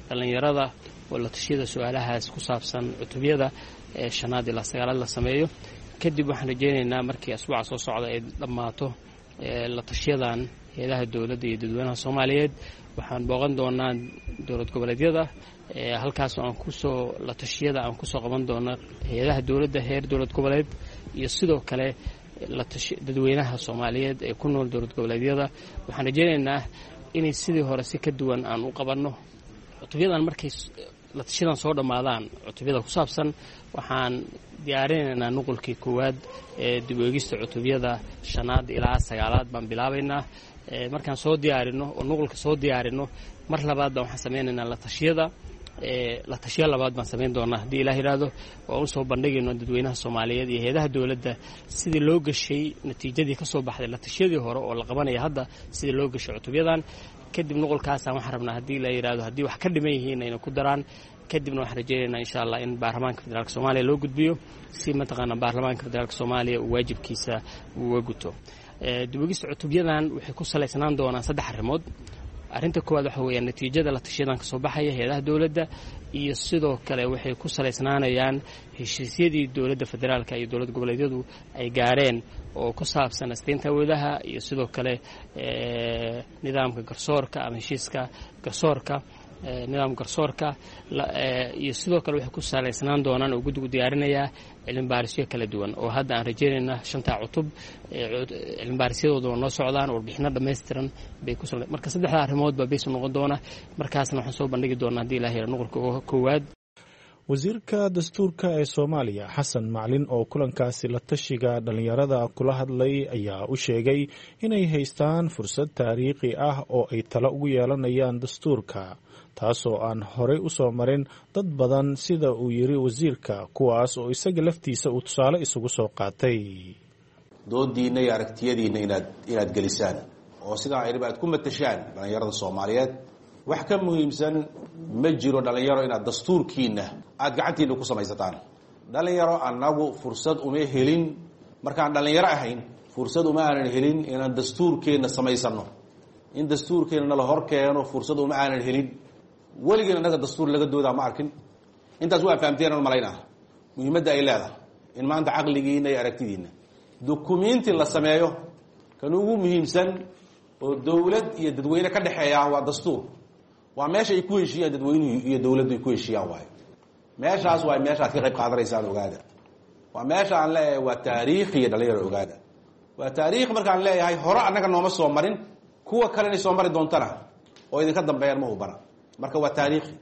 dhallinyarada oo la tashiyada su-aalahaas ku saabsan cutubyada 5aad ilaa 9aad la sameeyo. Kadib waxaan rajeynaynaa markii asbuuca soo socda ay dhammaato la tashiyadan hay-adaha dowladda iyo dadweynaha Soomaaliyeed, waxaan booqan doonaa dowlad goboleedyada, halkaasoo aan kusoo la tashiyada aan kusoo qaban doono hay-adaha dowladda heer dowlad goboleed iyo sidoo kale dadweynaha Soomaaliyeed ee ku nool dowlad goboleedyada. Waxaan rajeynaynaa inay sidii hore si ka duwan aan u qabanno cutubyadan. Markay la tashiyadan soo dhammaadaan cutubyada ku saabsan, waxaan diyaarinaynaa nuqulkii koowaad ee dib u eegista cutubyada 5aad ilaa 9aad baan bilaabaynaa. Markaan soo diyaarino oo nuqulka soo diyaarino, mar labaad baan waxaan sameynaynaa la tashiyada, la tashiya labaad baan samayn doonaa haddii Ilaah yidhaahdo, oo usoo bandhigayno dadweynaha Soomaaliyeed iyo hay-adaha dowladda sidii loo gashay natiijadii ka soo baxday la tashiyadii hore oo la qabanaya hadda, sidii loo gashay cutubyadan. Kadib nuqulkaasaan waxaan rabnaa haddii la yidhaahdo haddii wax ka dhiman yihiin ayna ku daraan. Kadibna waxaan rajeynaynaa insha Allah in baarlamaanka federaalka Soomaaliya loo gudbiyo si mataqaanaa baarlamaanka federaalka Soomaaliya uu waajibkiisa uga guto. Dib-u-eegista cutubyadan waxay ku salaysnaan doonaan 3 arrimood. Arrinta koowaad waxa weeyaan natiijada la tashiyadan kasoo baxaya hay-adaha dowladda, iyo sidoo kale waxay ku salaysnaanayaan heshiisyadii dowladda federaalka iyo dowlad goboleedyadu ay gaareen oo ku saabsan asteynta awoodaha iyo sidoo kale nidaamka garsoorka ama heshiiska garsoorka. Nidaam garsoorka iyo sidoo kale waxay ku salaysnaan doonaan oo guddigu diyaarinayaa cilmibaarisyo kala duwan oo hadda aan rajeynayna 5ta cutub cilmibaarisyadooda waa noo socdaan, warbixino dhammaystiran bay ku marka saddexda arrimood baa baysu noqon doona. Markaasna waxaan soo bandhigi doonaa haddii ilaah yara nuqulka koowaad. Wasiirka dastuurka ee Soomaaliya Xasan Maclin oo kulankaasi la tashiga dhallinyarada kula hadlay ayaa u sheegay inay haystaan fursad taariikhi ah oo ay talo ugu yeelanayaan dastuurka, taasoo aan horey u soo marin dad badan, sida uu yiri wasiirka, kuwaas oo isaga laftiisa uu tusaale isugu soo qaatay. Doodiinna iyo aragtiyadiinna inaad gelisaan oo sidaa ayba aad ku matashaan dhallinyarada Soomaaliyeed. Wax ka muhiimsan ma jiro dhallinyaro inaad dastuurkiinna aada gacantiinna ku samaysataan. Dhallinyaro annagu fursad uma helin markaan dhallinyaro ahayn, fursad uma aanan helin inaan dastuurkeenna samaysano, in dastuurkeenna nala hor keeno fursad uma aanan helin. Weligeen annaga dastuur laga doodaa ma arkin. Intaas waa fahamteen aan malaynaa muhiimadda ay leedahay in maanta caqligiinna iyo aragtidiinna dukumiinti la sameeyo. Kan ugu muhiimsan oo dowlad iyo dadweyne ka dhexeeya waa dastuur. Waa meesha ay ku heshiiyaan dadweynuhu iyo dowladdu ay ku heshiiyaan waayo. Meeshaas waa meeshaad ka qayb qaadanaysaan, ogaada. Waa meesha aan leeyahay waa taariikh iyo dhalinyaro, ogaada. Waa taariikh markaan leeyahay, hore annaga nooma soo marin, kuwa kale inay soo mari doontana oo idinka dambeeyaan ma hubana. Marka waa taariikhi.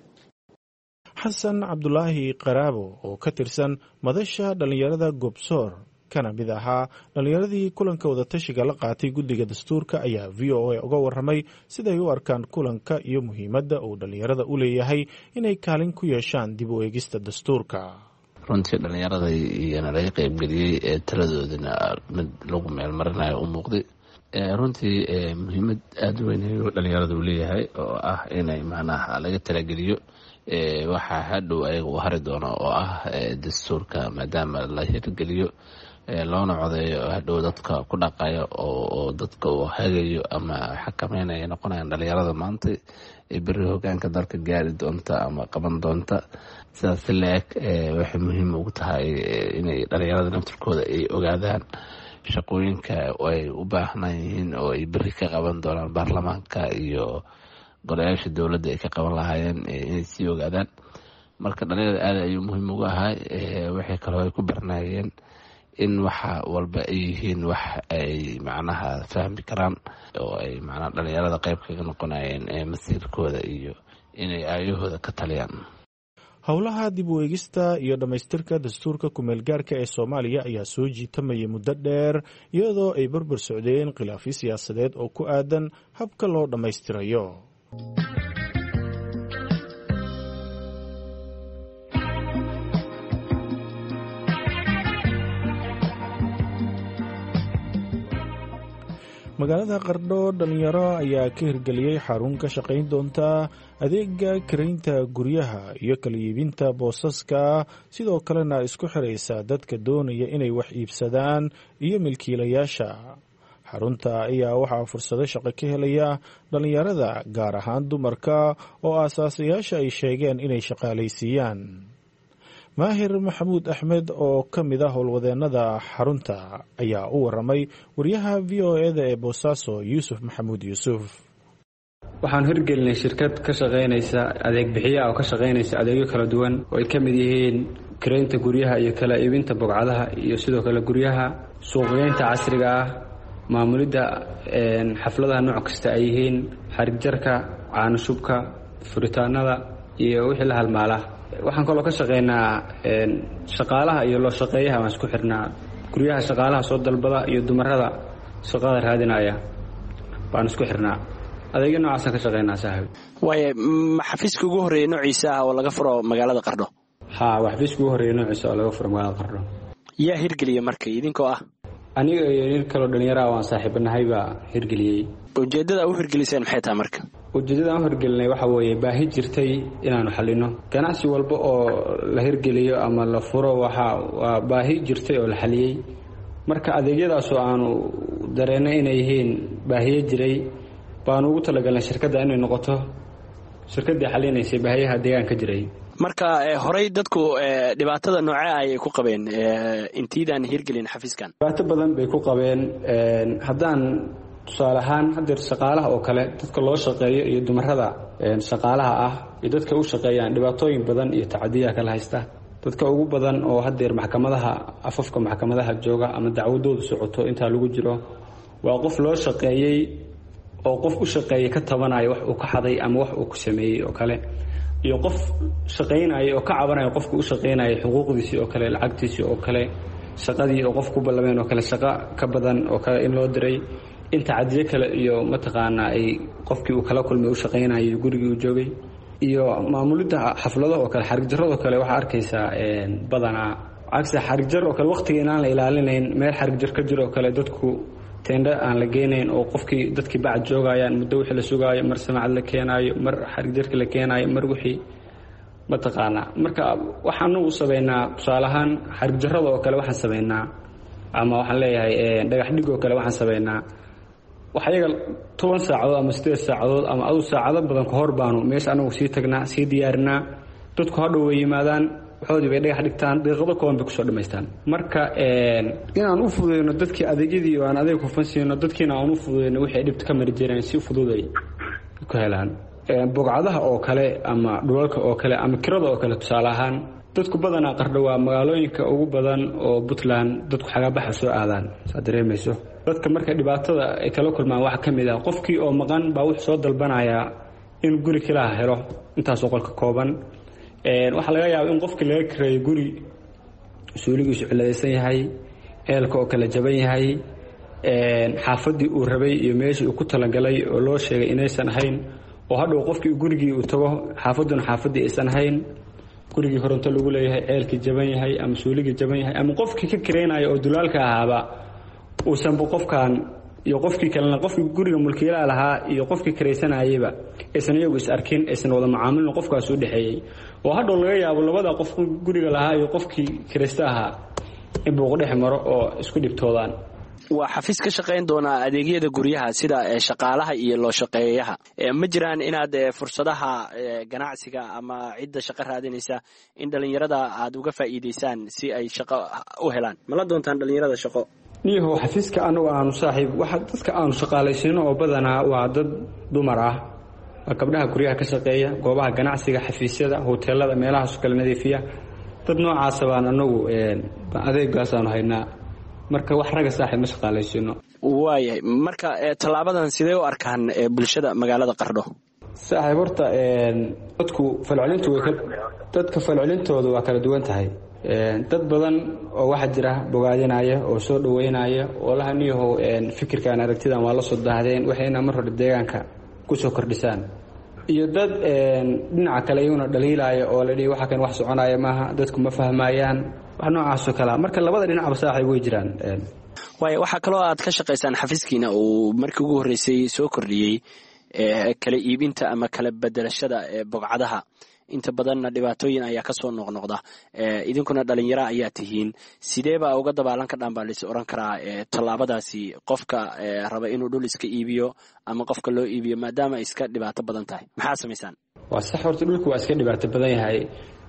Xasan Cabdulaahi Qaraabo oo ka tirsan madasha dhallinyarada Gobsoor kana mid ahaa dhallinyaradii kulanka wadatashiga la qaatay guddiga dastuurka ayaa VOA uga warramay siday u arkaan kulanka iyo muhiimadda uu dhallinyarada u leeyahay inay kaalin ku yeeshaan dib u eegista dastuurka. Runtii dhallinyarada iyana laga qeybgeliyey ee taladoodina mid lagu meelmarinayo u muuqday. Runtii muhiimad aada u weyn ayuu dhallinyarada u leeyahay oo ah inay macnaha laga talageliyo waxaa hadhow ayaga uu hari doono oo ah dastuurka, maadaama la hirgeliyo loona codeeyo hadhow dadka ku dhaqayo oo dadka uu hagayo ama xakameynaya noqonayaan dhalinyarada maanta ee beri hogaanka dalka gaari doonta ama qaban doonta. Sidaas si la-eg waxay muhiim ugu tahay inay dhalinyarada naftirkooda ay ogaadaan shaqooyinka ay u baahnaan yihiin oo ay beri ka qaban doonaan baarlamaanka iyo golayaasha dowladda ay ka qaban lahaayeen inay sii ogaadaan. Marka dhalinyarada aad ayuu muhiim ugu ahay. Waxay kaloo ay ku barnaayeen in waxa walba ay yihiin wax ay macnaha fahmi karaan oo ay macnaha dhalinyarada qayb kaga noqonayeen masiirkooda iyo inay aayahooda ka taliyaan. Howlaha dib u eegista iyo dhammaystirka dastuurka kumeelgaarka ee Soomaaliya ayaa soo jiitamayay muddo dheer, iyadoo ay barbar socdeen khilaafyo siyaasadeed oo ku aadan habka loo dhammaystirayo. Magaalada Qardho dhalinyaro ayaa ka hirgeliyey xarun ka shaqayn doonta adeega karaynta guryaha iyo kala iibinta boosaska, sidoo kalena isku xiraysa dadka doonaya inay wax iibsadaan iyo milkiilayaasha xarunta. Ayaa waxaa fursado shaqo ka helaya dhalinyarada, gaar ahaan dumarka oo aasaasayaasha ay sheegeen inay shaqaalaysiiyaan. Maahir Maxamuud Axmed oo ka mid ah howlwadeennada xarunta ayaa u waramay wariyaha VOA-da ee Boosaaso, Yuusuf Maxamuud Yuusuf. Waxaan hirgelinay shirkad ka shaqaynaysa adeeg bixiya oo ka shaqaynaysa adeegyo kala duwan oo ay ka mid yihiin karaynta guryaha iyo kala iibinta bogcadaha iyo sidoo kale guryaha, suuqgeynta casriga ah, maamulidda xafladaha nooc kasta ay yihiin, xarigjarka, caano shubka, furitaanada iyo wixii la halmaala. Waxaan kaloo ka shaqeynaa shaqaalaha iyo loo shaqeeyaha. Waan isku xirnaa guryaha, shaqaalaha soo dalbada iyo dumarada shaqada raadinaya baan isku xirnaa. Adeegyo noocaasaan ka shaqeynaa, saaxiib. Waaye, ma xafiiska ugu horreeya noociisa ah oo laga furo magaalada Qardho? Haa, waa xafiiska ugu horreeya noociisa oo laga furo magaalada Qardho. Yaa hirgeliya marka, idinkoo ah? Aniga iyo nin kaloo dhallinyaraha waan saaxiibanahay baa hirgeliyey. Ujeeddada u hirgeliseen maxay tahay marka? Ujeeddada aan u hirgelinay waxa weeye baahi jirtay inaanu xalino. Ganacsi walba oo la hirgeliyo ama la furo waxa waa baahi jirtay oo la xaliyey. Marka adeegyadaasoo aanu dareennay inay yihiin baahiyo jiray baanu ugu talagalnay shirkadda inay noqoto shirkaddii xalinaysay baahiyaha deegaanka jiray. Marka horey dadku dhibaatada noocee ayay ku qabeen intiidaan hirgelin xafiiskan? Dhibaato badan bay ku qabeen. Haddaan tusaale ahaan haddeer shaqaalaha oo kale, dadka loo shaqeeyo iyo dumarada shaqaalaha ah iyo dadka u shaqeeyaan dhibaatooyin badan iyo tacadiyaa kala haysta. Dadka ugu badan oo haddeer maxkamadaha, afafka maxkamadaha jooga ama dacwadoodu socoto intaa lagu jiro, waa qof loo shaqeeyey oo qof u shaqeeyey ka tabanaya wax uu ka xaday ama wax uu ku sameeyey oo kale, iyo qof shaqaynaya oo ka cabanaya qofka u shaqaynaya xuquuqdiisii oo kale, lacagtiisii oo kale, shaqadii oo qof ku ballameen oo kale shaqo ka badan oo kale in loo diray, in tacadiyo kale iyo mataqaanaa ay qofkii uu kala kulmay u shaqaynayay gurigii uu joogay, iyo maamulidda xaflado oo kale, xarigjarradoo kale. Waxaa arkaysaa badanaa cagsi xarigjar oo kale waqtiga inaan la ilaalinayn, meel xarigjar ka jiro oo kale dadku teendhe aan la geynayn oo qofkii dadkii bacad joogayaan muddo wixii la sugaayo, mar samacad la keenaayo, mar xarigjarka la keenaayo, mar wixii mataqaanaa. Marka waxaanu u sameynaa tusaale ahaan xarigjarrada oo kale waxaan sameynaa, ama waxaan leeyahay dhagax dhig oo kale waxaan sameynaa wax ayaga 10 saacadood ama 8 saacadood ama adu saacado badan ka hor baanu meesha anagu sii tagnaa, sii diyaarinaa. Dadku hadhow way yimaadaan, waxoodii bay dhagax dhigtaan, daqiiqado kooban bay kusoo dhammaystaan. Marka inaan u fududeyno dadkii adeegyadii oo aan adeeg hufan siino, dadkiina aan u fududeyno wixii ay dhibta ka mari jireen si fududay ku helaan. Bogcadaha oo kale ama dhulalka oo kale ama kirada oo kale, tusaale ahaan dadku badanaa Qardho waa magaalooyinka ugu badan oo Puntland dadku xagaabaxa soo aadaan, saa dareemayso. Dadka marka dhibaatada ay kala kulmaan waxaa ka mid ah qofkii oo maqan baa wuxuu soo dalbanayaa in guri kilaha helo intaasoo qolka kooban. Waxaa laga yaaba in qofkii laga kireeyo guri suuligiisu ciladaysan yahay, eelka oo kala jaban yahay, xaafaddii uu rabay iyo meeshii uu ku talagalay oo loo sheegay inaysan ahayn, oo hadhow qofkii gurigii uu tago xaafadduna xaafaddii aysan ahayn, gurigii koronto lagu leeyahay, ceelkii jaban yahay ama suuligii jaban yahay, ama qofkii ka kireynaya oo dulaalka ahaaba uusanba qofkan iyo qofkii kalena, qofkii guriga mulkiilaha lahaa iyo qofkii kiraysanayayba aysan iyagu is arkin, aysan wada macaamilin qofkaas u dhexeeyey, oo hadhow laga yaabo labada qof guriga lahaa iyo qofkii kiraysta ahaa in buuq dhex maro oo isku dhibtoodaan. Waa xafiis ka shaqayn doonaa adeegyada guryaha sida shaqaalaha iyo loo shaqeeyaha. Ma jiraan inaad fursadaha ganacsiga ama cidda shaqo raadinaysa in dhallinyarada aad uga faa'iidaysaan si ay shaqo u helaan? Mala doontaan dhallinyarada shaqo? Niyahow, xafiiska anagu aanu saaxiib waxa dadka aanu shaqaalaysiino oo badanaa waa dad dumar ah, waa gabdhaha guryaha ka shaqeeya, goobaha ganacsiga, xafiisyada, hoteelada, meelahaasoo kale nadiifiya. Dad noocaasa baan anagu adeegaasaanu haynaa. Marka wax ragga saaxiib ma shaqaalaysiino. Waayahay, marka tallaabadan sidee u arkaan bulshada magaalada Qardho? Saaxiib, horta dadku falcelintu way dadka falcelintooda waa kala duwan tahay. Dad badan oo waxaa jira bogaadinaya oo soo dhaweynaya oo laha niyahow fikirkan aragtidan waa la soo daahdeen, waxayna mar hore deegaanka kusoo kordhisaan, iyo dad dhinaca kale iyaguna dhaliilaya oo la dhihi waxa kan wax soconaya maaha, dadku ma fahmayaan, wax noocaasoo kalea. Marka labada dhinacba saaxiib way jiraan. Waaya, waxaa kaloo aad ka shaqaysaan xafiiskiina uu markii ugu horreysay soo kordhiyey kala iibinta ama kala bedelashada bogcadaha. Inta badanna dhibaatooyin ayaa kasoo noqnoqda, idinkuna dhalinyaro ayaa tihiin. Sidee baa uga dabaalan kadhaan baa lais oran karaa tallaabadaasi qofka raba inuu dhul iska iibiyo ama qofka loo iibiyo, maadaama ay iska dhibaato badan tahay? Maxaa samaysaan? Waa sax, horta dhulku waa iska dhibaato badan yahay.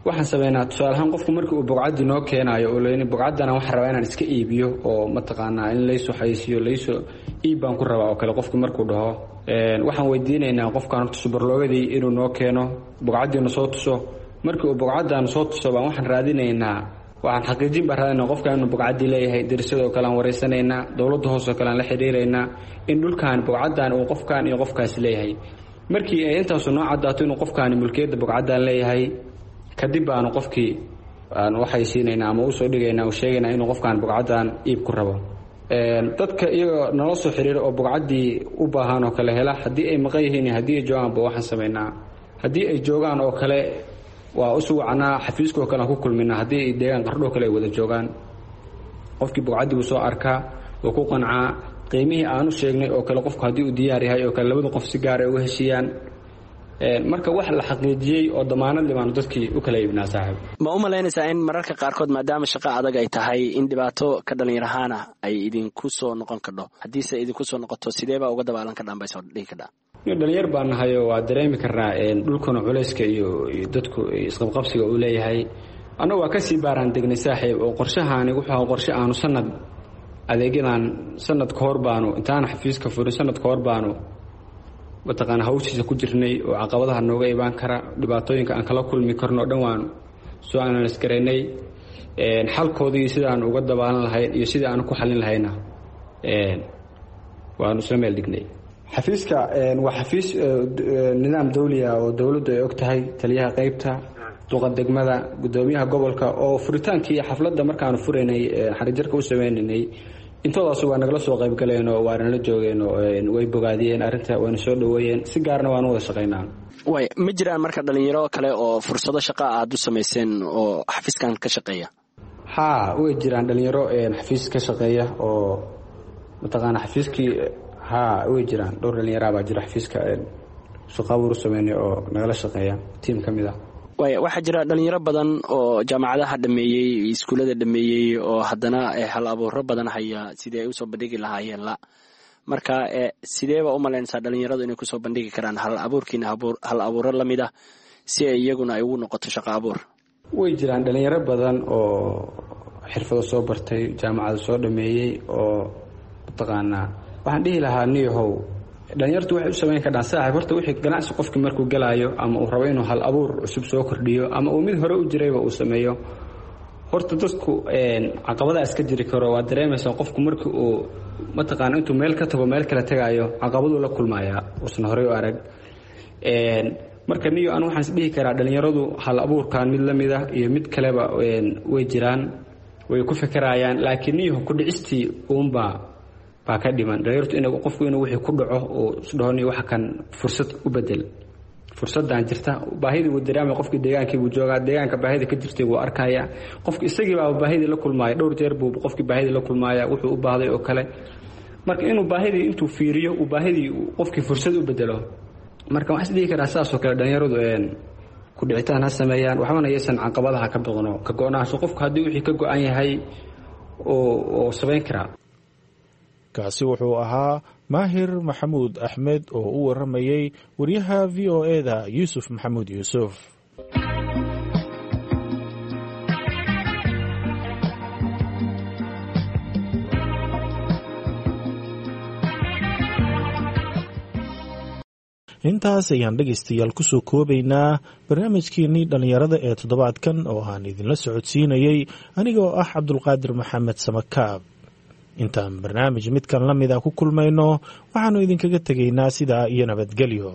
Waxaan sameynaa tusaale ahaan qofku markii uu bogcaddii noo keenaayo oo leyn bogcaddana waxaan rabaa inaan iska iibiyo oo mataqaanaa in laysoo xayisiiyo, laysoo iib baan ku rabaa oo kale, qofku markuu dhaho waxaan weydiinaynaa qofkan horta subarloogadii inuu noo keeno, bogcaddiina soo tuso. Markii uu bogcaddan soo tuso baan waxaan raadinaynaa, waxaan xaqiijin baan raadinaynaa qofkan inuu bogcaddii leeyahay. Derisadoo kale aan wareysanaynaa, dowladda hoosoo kale aan la xiriiraynaa in dhulkan bogcaddan uu qofkan iyo qofkaas leeyahay. Markii ay intaasu noo caddaato inuu qofkaani mulkiyadda bogcaddan leeyahay, kadib baanu qofkii aan waxaysiinaynaa ama usoo dhigaynaa u sheegaynaa inuu qofkaan bogcaddan iib ku rabo. Dadka iyagoo nala soo xiriira oo bogcaddii u baahan oo kale hela, haddii ay maqan yihiin iyo haddii ay joogaanba waxaan samaynaa, haddii ay joogaan oo kale waa usu wacnaa, xafiiskaoo kale aan ku kulminaa. Haddii ay deegaan Qardhoo kale ay wada joogaan, qofkii bogcaddii buu soo arkaa oo ku qancaa qiimihii aanu sheegnay oo kale. Qofku haddii uu diyaar yahay oo kale, labada qof si gaar ay uga heshiiyaan. Marka wax la xaqiijiyey oo damaanad libaanu dadkii u kala iibnaa saaxiib. Ma u malaynaysaa in mararka qaarkood, maadaama shaqo adag ay tahay, in dhibaato ka dhalinyar ahaana ay idinku soo noqon kadho? Haddiise idinku soo noqoto, sidee baa uga dabaalan kadhaan bay soo dhihi kadhaa? Dhalinyar baan nahayo, waa dareemi karnaa dhulkuna culayska iyo dadku isqabqabsiga uu leeyahay. Annagu waa kasii baaraan degnay saaxiib, oo qorshahaani wuxuu ahaa qorshe aanu sanad adeegyadan sanad ka hor baanu intaana xafiiska furin, sanad ka hor baanu mataqaana hawshiisa ku jirnay oo caqabadaha nooga imaan kara, dhibaatooyinka aan kala kulmi karno o dhan waan soo analys garaynay. Xalkoodii sida aan uga dabaalan lahayn iyo sidii aan ku xalin lahayna waanu isla meel dhignay. Xafiiska waa xafiis nidaam dawli ah oo dowladdu ay og tahay, taliyaha qeybta, duqa degmada, gudoomiyaha gobolka, oo furitaankii xafladda markaanu furaynay xarijarka u sameynaynay intoodaas waa nagala soo qaybgaleen oo waa nala joogeen oo way bogaadiyeen arrinta, wayna soo dhaweeyeen, si gaarna waanu wada shaqaynaa. Way ma jiraan marka dhalinyaro kale oo fursado shaqa aad u samayseen oo xafiiskan ka shaqeeya? Haa, way jiraan dhalinyaro xafiis ka shaqeeya oo mataqaana xafiiskii. Haa, way jiraan dhowr dhalinyaraa baa jira xafiiska shaqo abuur u sameynay oo nagala shaqeeya, tiim ka mid ah. Waaya, waxaa jira dhalinyaro badan oo jaamacadaha dhameeyey, iskuullada dhameeyey, oo haddana hal abuuro badan haya sidii ay usoo bandhigi lahaayeen la. Marka sideeba u malaynaysaa dhalinyaradu inay kusoo bandhigi karaan hal abuurkiina, hal abuuro la mid ah, si ay iyaguna ay ugu noqoto shaqo abuur? Way jiraan dhalinyaro badan oo xirfado soo bartay, jaamacada soo dhameeyey oo mataqaanaa. Waxaan dhihi lahaa, niyahow, dhalinyartu waxay u samayn kardhaan, saaxiib, horta wixii ganacsi qofkii markuu galaayo ama uu rabo inuu hal abuur cusub soo kordhiyo ama uu mid hore u jirayba uu sameeyo, horta dadku caqabadaa iska jiri karo, waa dareemaysaa. Qofku markii uu mataqaana intuu meel ka tago meel kale tagaayo, caqabaduu la kulmayaa uusan horey u arag. Marka niyo anu waxaan isdhihi karaa dhalinyaradu hal abuurkan mid la mid ah iyo mid kaleba way jiraan, way ku fikeraayaan, laakiin niyaho ku dhicistii uunbaa baa ka dhiman dhalinyartu, in qofku inuu wixii ku dhaco oo isdhaho niyo waxa kan fursad u bedel, fursaddan jirta, baahidii wuu dareemaya. Qofkii deegaankii buu joogaa, deegaanka baahida ka jirtay wuu arkaya. Qofki isagii baaba baahidii la kulmaaya, dhowr jeer buu qofkii baahidii la kulmaaya wuxuu u baahday oo kale. Marka inuu baahidii intuu fiiriyo uu baahidii qofkii fursad u bedelo. Marka waxaan isdhihi karaa saasoo kale dhalinyaradu ku dhicitaan ha sameeyaan, waxbana yaysan caqabadaha ka biqno, ka go-naansho qofku haddii wixii ka go-an yahay oo samayn karaa. Kaasi wuxuu ahaa Maahir Maxamuud Axmed oo u warramayey wariyaha VOA-da Yuusuf Maxamuud Yuusuf. Intaas ayaan dhegaystayaal kusoo koobaynaa barnaamijkeenii dhallinyarada ee toddobaadkan oo aan idinla socodsiinayey anigoo ah Cabdulqaadir Maxamed Samakaab. Intaan barnaamij midkan la mida ku kulmayno, waxaannu idinkaga tegaynaa sidaa iyo nabadgelyo.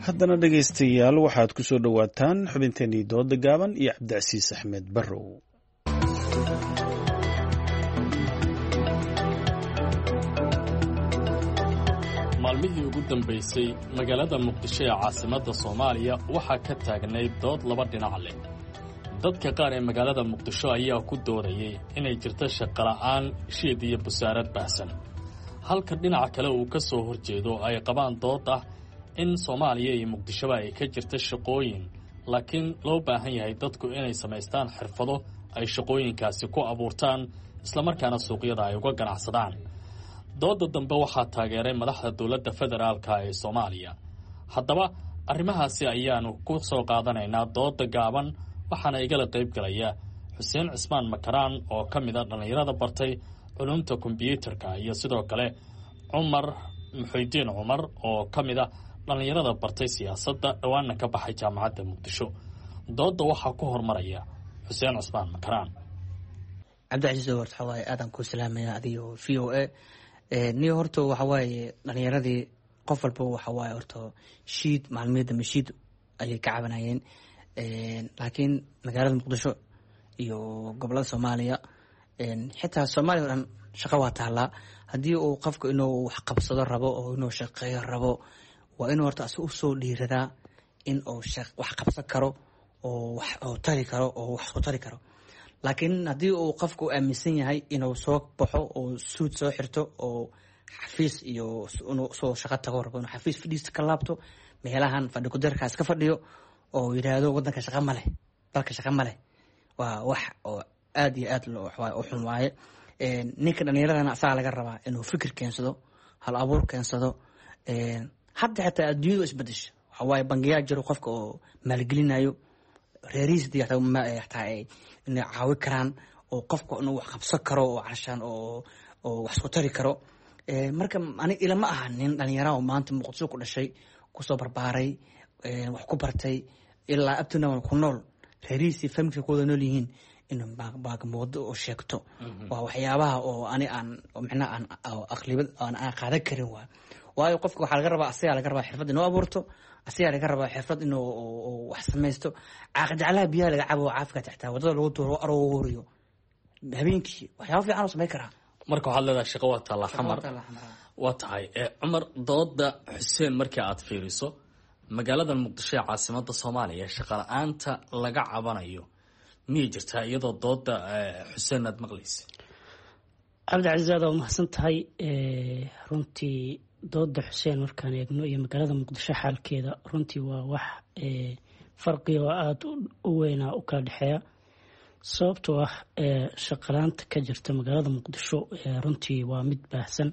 Haddana dhegaystayaal, waxaad ku soo dhowaataan xubinteenii dooda gaaban iyo Cabdicasiis Axmed Barrow. Maalmihii ugu dambaysay magaalada Muqdisho ee caasimadda Soomaaliya waxaa ka taagnayd dood laba dhinac leh. Dadka qaar ee magaalada Muqdisho ayaa ku doodayay inay jirto shaqola'aan, shiid iyo busaarad baahsan, halka dhinaca kale uu ka soo horjeedo ay qabaan dood ah in Soomaaliya iyo Muqdishoba ay ka jirta shaqooyin, laakiin loo baahan yahay dadku inay samaystaan xirfado ay shaqooyinkaasi ku abuurtaan, islamarkaana suuqyada ay uga ganacsadaan. Dooda dambe waxaa taageeray madaxda dowladda federaalka ee Soomaaliya. Haddaba arrimahaasi ayaanu ku soo qaadanaynaa dooda gaaban, waxaana igala qayb galaya Xuseen Cismaan Makaraan oo ka mid a dhallinyarada bartay culumta kombyuutarka, iyo sidoo kale Cumar Muxuudiin Cumar oo ka mid a dhallinyarada bartay siyaasadda, dhowaana ka baxay jaamacadda Muqdisho. Dooda waxaa ku hormaraya Xuseen Cismaan Makaraan. Cabdicasiis, horta waxaa waaye aadaan kuu salaamaya adiyo VOA. Niyo, horta waxa waaye dhalinyaradii qof walba waxa waaye horta shiid maalmihii dambe shiid ayay ka cabanayeen, laakiin magaalada Muqdisho iyo gobolada Soomaaliya, xitaa Soomaaliya o dhan, shaqo waa taallaa. Haddii uu qofku inuu wax qabsado rabo oo inuu shaqeeyo rabo, waa inuu horta asi usoo dhiiradaa in uu wax qabsan karo oo wax oo tari karo oo wax ku tari karo. Laakiin haddii uu qofku aaminsan yahay inuu soo baxo oo suud soo xirto oo xafiis iyo inuu soo shaqo tago rabo, inuu xafiis fadhiista ka laabto, meelahan fadhi kudarkaas ka fadhiyo oo yidhaahdo wadanka shaqa ma leh, dalka shaqa ma leh, waa wax oo aad iyo aad u xun waaye. Ninka dhalinyaradana asagaa laga rabaa inuu fikir keensado, hal abuur keensado. Hadda xitaa adduunyadu isbedesho, waxa waaye bangiyaa jiro qofka oo maalgelinayo, reerihiis hadii xataa ay inay caawi karaan oo qofka inuu wax qabsan karo oo calashaan oo oo wax isku tari karo. Marka ani ilama aha nin dhalinyara oo maanta Muqdisho ku dhashay, kusoo barbaaray, wax ku bartay, ilaa abtuna ku nool, reerihiisii familka ku wada nool yihiin, inuu baagamoodo oo sheegto waa waxyaabaha oo ani aan micnaha aan aqlibad aan qaadan karin. Waa waayo qofka waxaa laga rabaa, asagaa laga rabaa xirfad inuu abuurto, asagaa laga rabaa xirfad inuu wax samaysto. Caaqijaclaha biyaha laga cabo, caafika taxtaa wadada lagu tuuro, arooriyo habeenkii, waxyaaba fiican oo samay karaa. Marka waxaad leedahay shaqo waa taallaa Xamar. Waa tahay Cumar, dooda Xuseen markii aad fiiriso, magaalada Muqdisho ee caasimada Soomaaliya shaqa la-aanta laga cabanayo miyay jirtaa, iyadoo dooda Xuseen aad maqlaysa? Cabdicasiis, aad waa mahadsan tahay. Runtii dooda Xuseen markaan eegno iyo magaalada Muqdisho xaalkeeda, runtii waa wax farqiga oo aada u weynaa u kala dhexeeya, sababtoo ah shaqalaanta ka jirta magaalada Muqdisho runtii waa mid baahsan,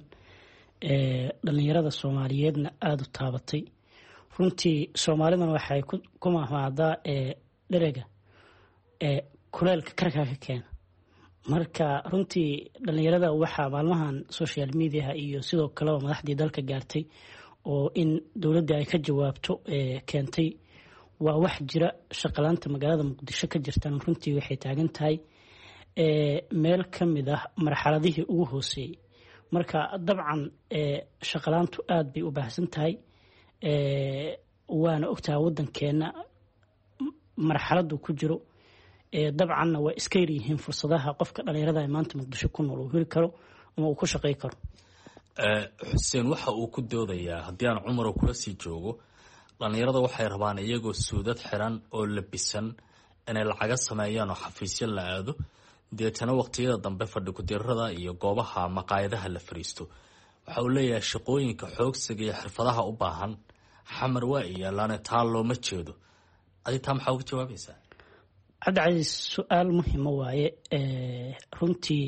dhalinyarada Soomaaliyeedna aada u taabatay. Runtii Soomaalidana waxay ku mahmaadaa dherega kuleelka karkaa ka keena. Marka runtii dhalinyarada waxaa maalmahan social mediaha iyo sidoo kaleba madaxdii dalka gaartay oo in dowladda ay ka jawaabto keentay waa wax jira. Shaqalaanta magaalada Muqdisho ka jirtan runtii waxay taagan tahay meel ka mid ah marxaladihii ugu hooseeyey. Marka dabcan shaqalaantu aada bay u baahsan tahay, waana ogtahay wadankeena marxaladu ku jiro. Dabcanna waa iska yaryihiin fursadaha qofka dhalinyarada ee maanta Muqdisho ku nool uu heli karo ama uu ku shaqey karo. Xuseen waxa uu ku doodayaa, haddii aan Cumar kula sii joogo, dhalinyarada waxay rabaan iyagoo suudad xiran oo labisan inay lacaga sameeyaan oo xafiisyo la aado, deetana waqtiyada dambe fadhi ku-dirada iyo goobaha maqaayadaha la fariisto. Waxa uu leeyahay shaqooyinka xoogsiga iyo xirfadaha u baahan Xamar waa iyaalaane, taa looma jeedo. Adi taa maxaa uga jawaabaysaa? Cabdicasiis, su-aal muhima waaye. Runtii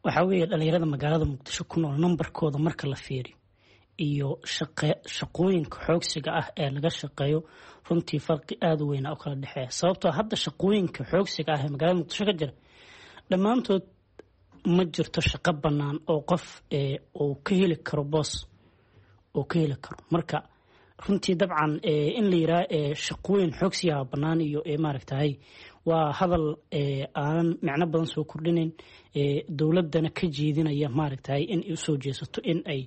waxaa weeye dhalinyarada magaalada Muqdisho ku nool nambarkooda marka la fiiriyo iyo shaqooyinka xoogsiga ah ee laga shaqeeyo, runtii farqi aada u weyna oo kala dhexeeya, sababtoo hadda shaqooyinka xoogsiga ah ee magaalada Muqdisho ka jira dhammaantood ma jirto shaqo bannaan oo qof uu ka heli karo boos uu ka heli karo. Marka runtii dabcan in la yiraa shaqooyin xoogsigaha bannaan iyo maaragtahay waa hadal aanan micno badan soo kordhinayn, dowladdana ka jeedinaya maaragtahay in ay usoo jeesato in ay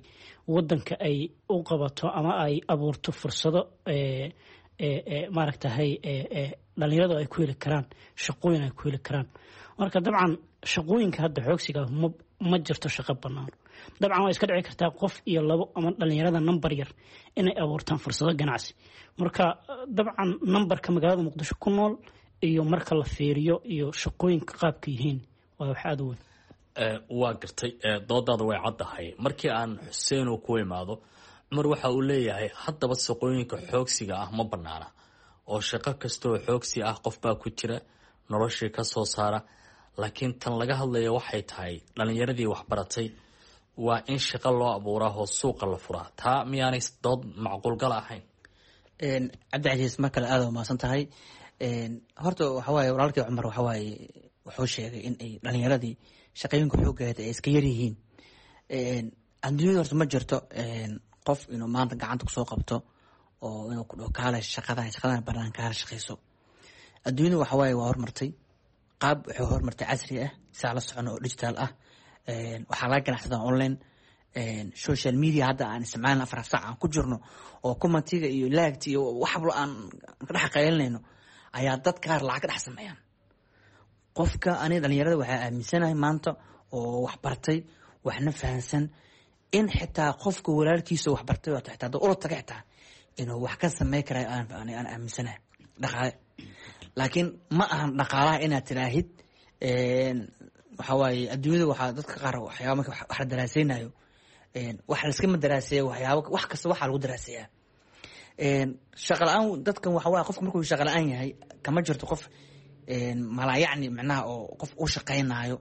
wadanka ay u qabato ama ay abuurto fursado maaragtahay dhalinyaradu ay ku heli karaan shaqooyin ay ku heli karaan. Marka dabcan shaqooyinka hadda xoogsiga ma jirto shaqo bannaan. Dabcan waa iska dhici kartaa qof iyo labo ama dhalinyarada nambar yar inay abuurtaan fursado ganacsi. Marka dabcan nambarka magaalada Muqdisho ku nool iyo marka la fiiriyo iyo shaqooyinka qaabka yihiin waa wax aada u weyn. Waa gartay, doodaada way caddahay. Markii aan Xuseen uu ku imaado, Cumar waxa uu leeyahay haddaba shaqooyinka xoogsiga ah ma banaana, oo shaqo kastaoo xoogsi ah qof baa ku jira noloshii ka soo saara, laakiin tan laga hadlaya waxay tahay dhalinyaradii waxbaratay waa in shaqo loo abuuraa oo suuqa la furaa. Taa miyaanay dood macquulgal ahayn? Cabdicasiis, mar kale aada umahadsan tahay. Horta waxawaaye walaalkii Cumar waxawaaye wuxuu sheegay in ay dhalinyaradii shaqooyinka xooggeeda ay iska yaryihiin. Adduunyada horta ma jirto qof inuu maanta gacanta kusoo qabto oo inuu ku dhaho kaale shaqadan, shaqadan banaan kaala shaqeyso. Adduunyada waxawaaye waa hormartay, qaab wuxuu hormartay casri ah saa la socono oo digital ah. Waxaa laga ganacsadaa online, social media hadda aan isticmaalna 4 saac aan ku jirno oo commentiga iyo laagta iyo waxba aan ka dhex qaylinayno ayaa dad qaar lacag ka dhex sameeyaan. Qofka aniga dhalinyarada waxaa aaminsanahay maanta oo wax bartay waxna fahansan in xitaa qofka walaalkiisa wax bartay oo xitaa dad ula taga xitaa inuu wax ka samey karayo aan aaminsanahay dhaqaale. Laakiin ma ahan dhaqaalaha inaad tiraahid waxaa waaye adduunyada waxaa dadka qaar waxyaaba marka wax la daraaseynayo, wax laiskama daraaseeya, waxyaaba wax kasta waxaa lagu daraaseeyaa. Shaqa la-aan dadkan waxa waaye qofka markuu shaqa la-aan yahay kama jirto qof malayacni macnaha oo qof u shaqeynaayo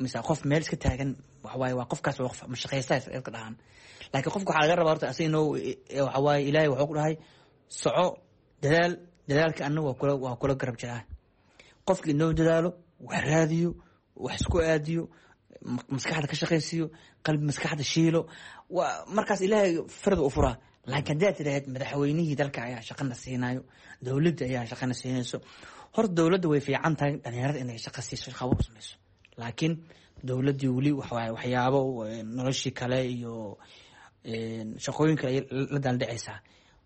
mise qof meel iska taagan, waxawaaye waa qofkaas waa qof mashaqeysta iska dhahan. Laakiin qofka waxaa laga rabaa horta asiga inuu waxawaaye Ilaahay wuxuu ku dhahay soco, dadaal, dadaalka anna waa kula garab jiraa. Qofka inoo dadaalo, wax raadiyo, wax isku aadiyo, Maskaxda ka shaqaysiiyo, qalbi maskaxda shiilo, waa markaas Ilaahay farda u furaa. Laakiin haddaad tidhaahd madaxweynihii dalka ayaa shaqana siinayo, dowladda ayaa shaqana siinayso, horta dowladda way fiican tahay dhalinyarada inay shaqa siiso, shaqa abuur samayso, laakiin dowladdii weli waxawaaye waxyaabo noloshii kale iyo shaqooyin kale ayay la daaldhacaysaa.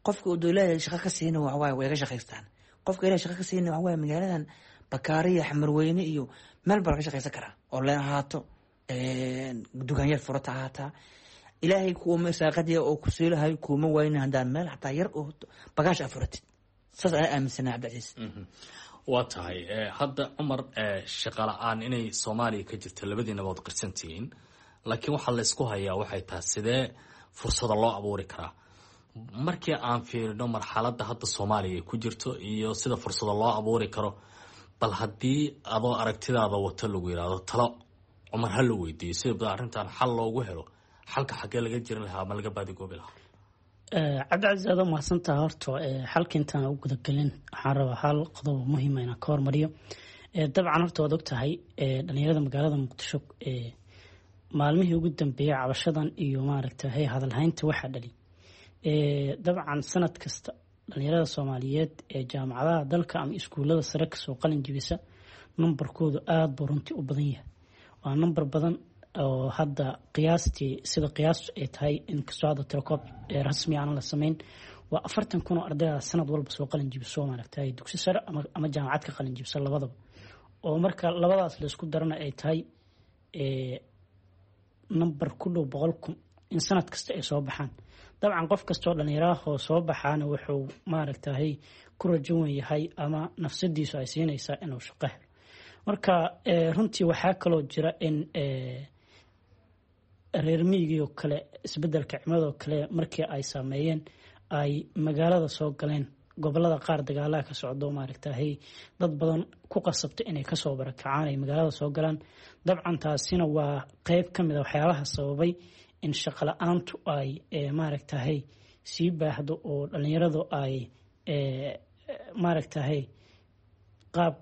Qofka uu dowladda shaqa ka siina waxawaaye way ka shaqaystaan. Qofka Ilahay shaqa ka siina waxawaaye magaaladan Bakaariya, Xamarweyne iyo meel baa laga shaqaysan karaa oo leen ahaato, dukaanyar furata ahaataa. Ilaahay kuuma irsaaqadiya oo ku siilahayo kuuma wayna haddaan meel xataa yar oo bagaash aa furatid. Saas anaa aaminsanaa, Cabdicasiis. Waa tahay. Hadda Cumar, shaqa la-aan inay Soomaaliya ka jirto labadiinaba waad qirsantihiin, laakiin waxaa laysku hayaa waxay tahay sidee fursada loo abuuri karaa. Markii aan fiirino marxaladda hadda Soomaaliya ay ku jirto iyo sida fursada loo abuuri karo, bal haddii adoo aragtidaada wato lagu yidhaahdo talo Cumar ha la weydiiyo sida arrintan xal loogu helo, xalka xaggee laga jirin lahaa ama laga baadigoobi lahaa? Cabdicasiis, aad mahadsantaha. Horta xalka intaan u gudagelin waxaan rabaa hal qodob oo muhiima inaan ka hormariyo. Dabcan horta waad ogtahay dhalinyarada magaalada Muqdisho maalmihii ugu dambeeyay cabashadan iyo maaragtay hadalhaynta waxaa dhali dabcan sanad kasta dhalinyarada Soomaaliyeed ee jaamacadaha dalka ama iskuulada sare kasoo qalin jibisa numbarkoodu aada buu runtii u badan yahay. Waa number badan oo hadda qiyaastii, sida qiyaastu ay tahay, inkastoo hadda tirakoob rasmi aan la sameyn, waa 40,000 oo ardayda sanad walba soo qalin jibiso maaragtay dugsi sare ama jaamacad ka qalin jibisa labadaba, oo marka labadaas la isku darana ay tahay number ku dhow 100,000 in sanad kasta ay soo baxaan. Dabcan qof kastoo dhalinyaraahoo soo baxaana wuxuu maaragtay ku rajo wen yahay ama nafsadiisu ay siinaysaa inuu shaqo helo. Marka runtii waxaa kaloo jira in reer miyigiioo kale isbedelka cimiladoo kale markii ay saameeyeen ay magaalada soo galeen, gobolada qaar dagaalaha ka socdo maaragtay dad badan ku qasabta inay kasoo barakacaan ay magaalada soo galaan. Dabcan taasina waa qeyb ka mid a waxyaabaha sababay in shaqo la-aantu ay maaragtahay sii baahdo oo dhalinyaradu ay maaragtahay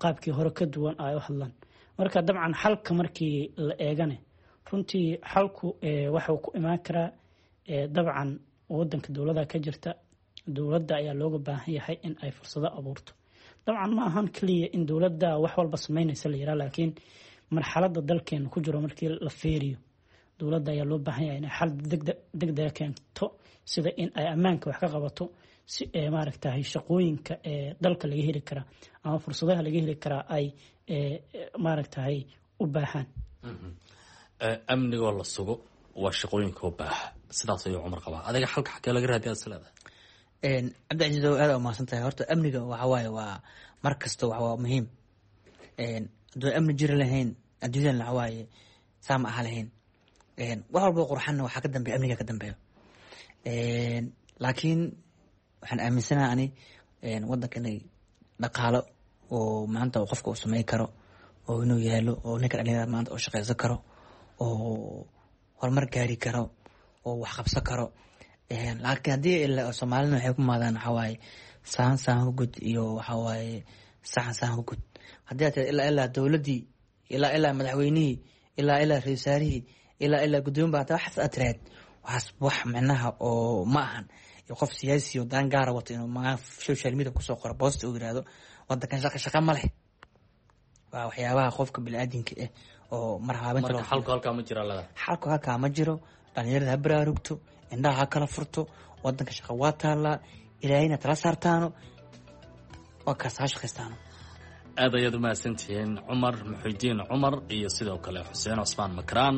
qaabkii hore ka duwan ay u hadlaan. Marka dabcan xalka markii la eegane, runtii xalku waxuu ku imaan karaa dabcan wadanka dowlada ka jirta, dowladda ayaa looga baahan yahay in ay fursado abuurto. Dabcan ma ahan keliya in dowladda wax walba sameynaysa la yiraa, laakiin marxaladda dalkeena ku jiro markii la feeriyo dowladda ayaa loo baahan yahay inay xal degdega keento, sida in ay ammaanka wax ka qabato si maaragtahay shaqooyinka ee dalka laga heli karaa ama fursadaha laga heli karaa ay maaragtahay u baahaan. Amnigoo la sugo waa shaqooyinka u baaha, sidaas ayuu Cumar qabaa. Adiga xalka xagee laga raadiya is leedahay? Cabdicasiis, aad umahadsan tahay. Horta amniga waxa waaye waa mar kasta waa muhiim. Hadduu amni jiri lahayn adduunyadan waxa waaye saa ma aha lahayn. Wax walbo qurxanna waxaa ka dambeeya amniga ka dambeeyo. Laakiin waxaan aaminsanaha ani wadanka inay dhaqaalo oo maanta qofka uu sameyn karo oo inuu yaalo oo ninka dhalinyarada maanta uu shaqeysan karo oo horumar gaari karo oo wax qabsan karo. Laakiin haddii Soomaalina waxay ku maadaan waxaa waaye sahan sahan ku gud iyo waxaa waaye saxan sahan ku gud. Haddii aad tiraahdo ilaa ilaa dowladdii, ilaa ilaa madaxweynihii, ilaa ilaa ra-iisul wasaarihii, ilaa ilaa guddoomiye baa waxaas aad tiraahd, waxaas wax micnaha oo ma ahan. Iyo qof siyaasi oo daan gaara wato inuu magaa social media kusoo qoro boost uu yiraahdo wadankan shaqa shaqa ma leh, waa waxyaabaha qofka biniaadinka ah oo marhaabinta. Marka xalku halkaa ma jira leedahay? Xalku halkaa ma jiro. Dhalinyarada ha baraarugto, indhaha ha kala furto, wadanka shaqa waa taallaa, Ilaahayna tala saartaano, waa kaas, ha shaqaystaano. Aad ayaad umahadsantihiin Cumar Muxidiin Cumar iyo sidoo kale Xuseen Cusmaan Makraan.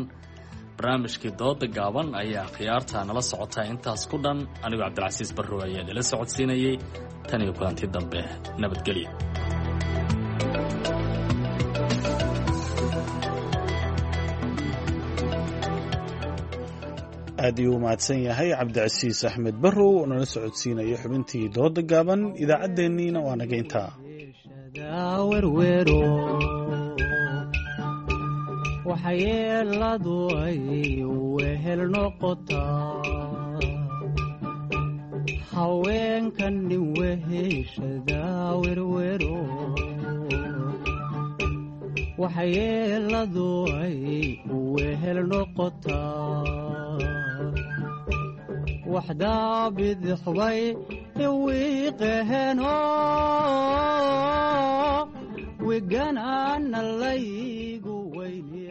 Barnaamijkii dooda gaaban ayaa khiyaarta nala socotaa intaas ku dhan. Anigoo Cabdilcasiis Barrow ayaa idila socodsiinayay. Tan iyo kulanti dambe, nabadgelyo. Aad ayuu u mahadsan yahay Cabdicasiis Axmed Barrow oo nala socodsiinaya xubintii dooda gaaban. Idaacaddeenniina waa naga intaa. Werwero waxyeeladu ay wehel noqotaa haweenkan nin weheshada werwero. Waxyeeladu ay wehel noqotaa, waxdaa bidixbay iwiiqaheno wiganaana lay.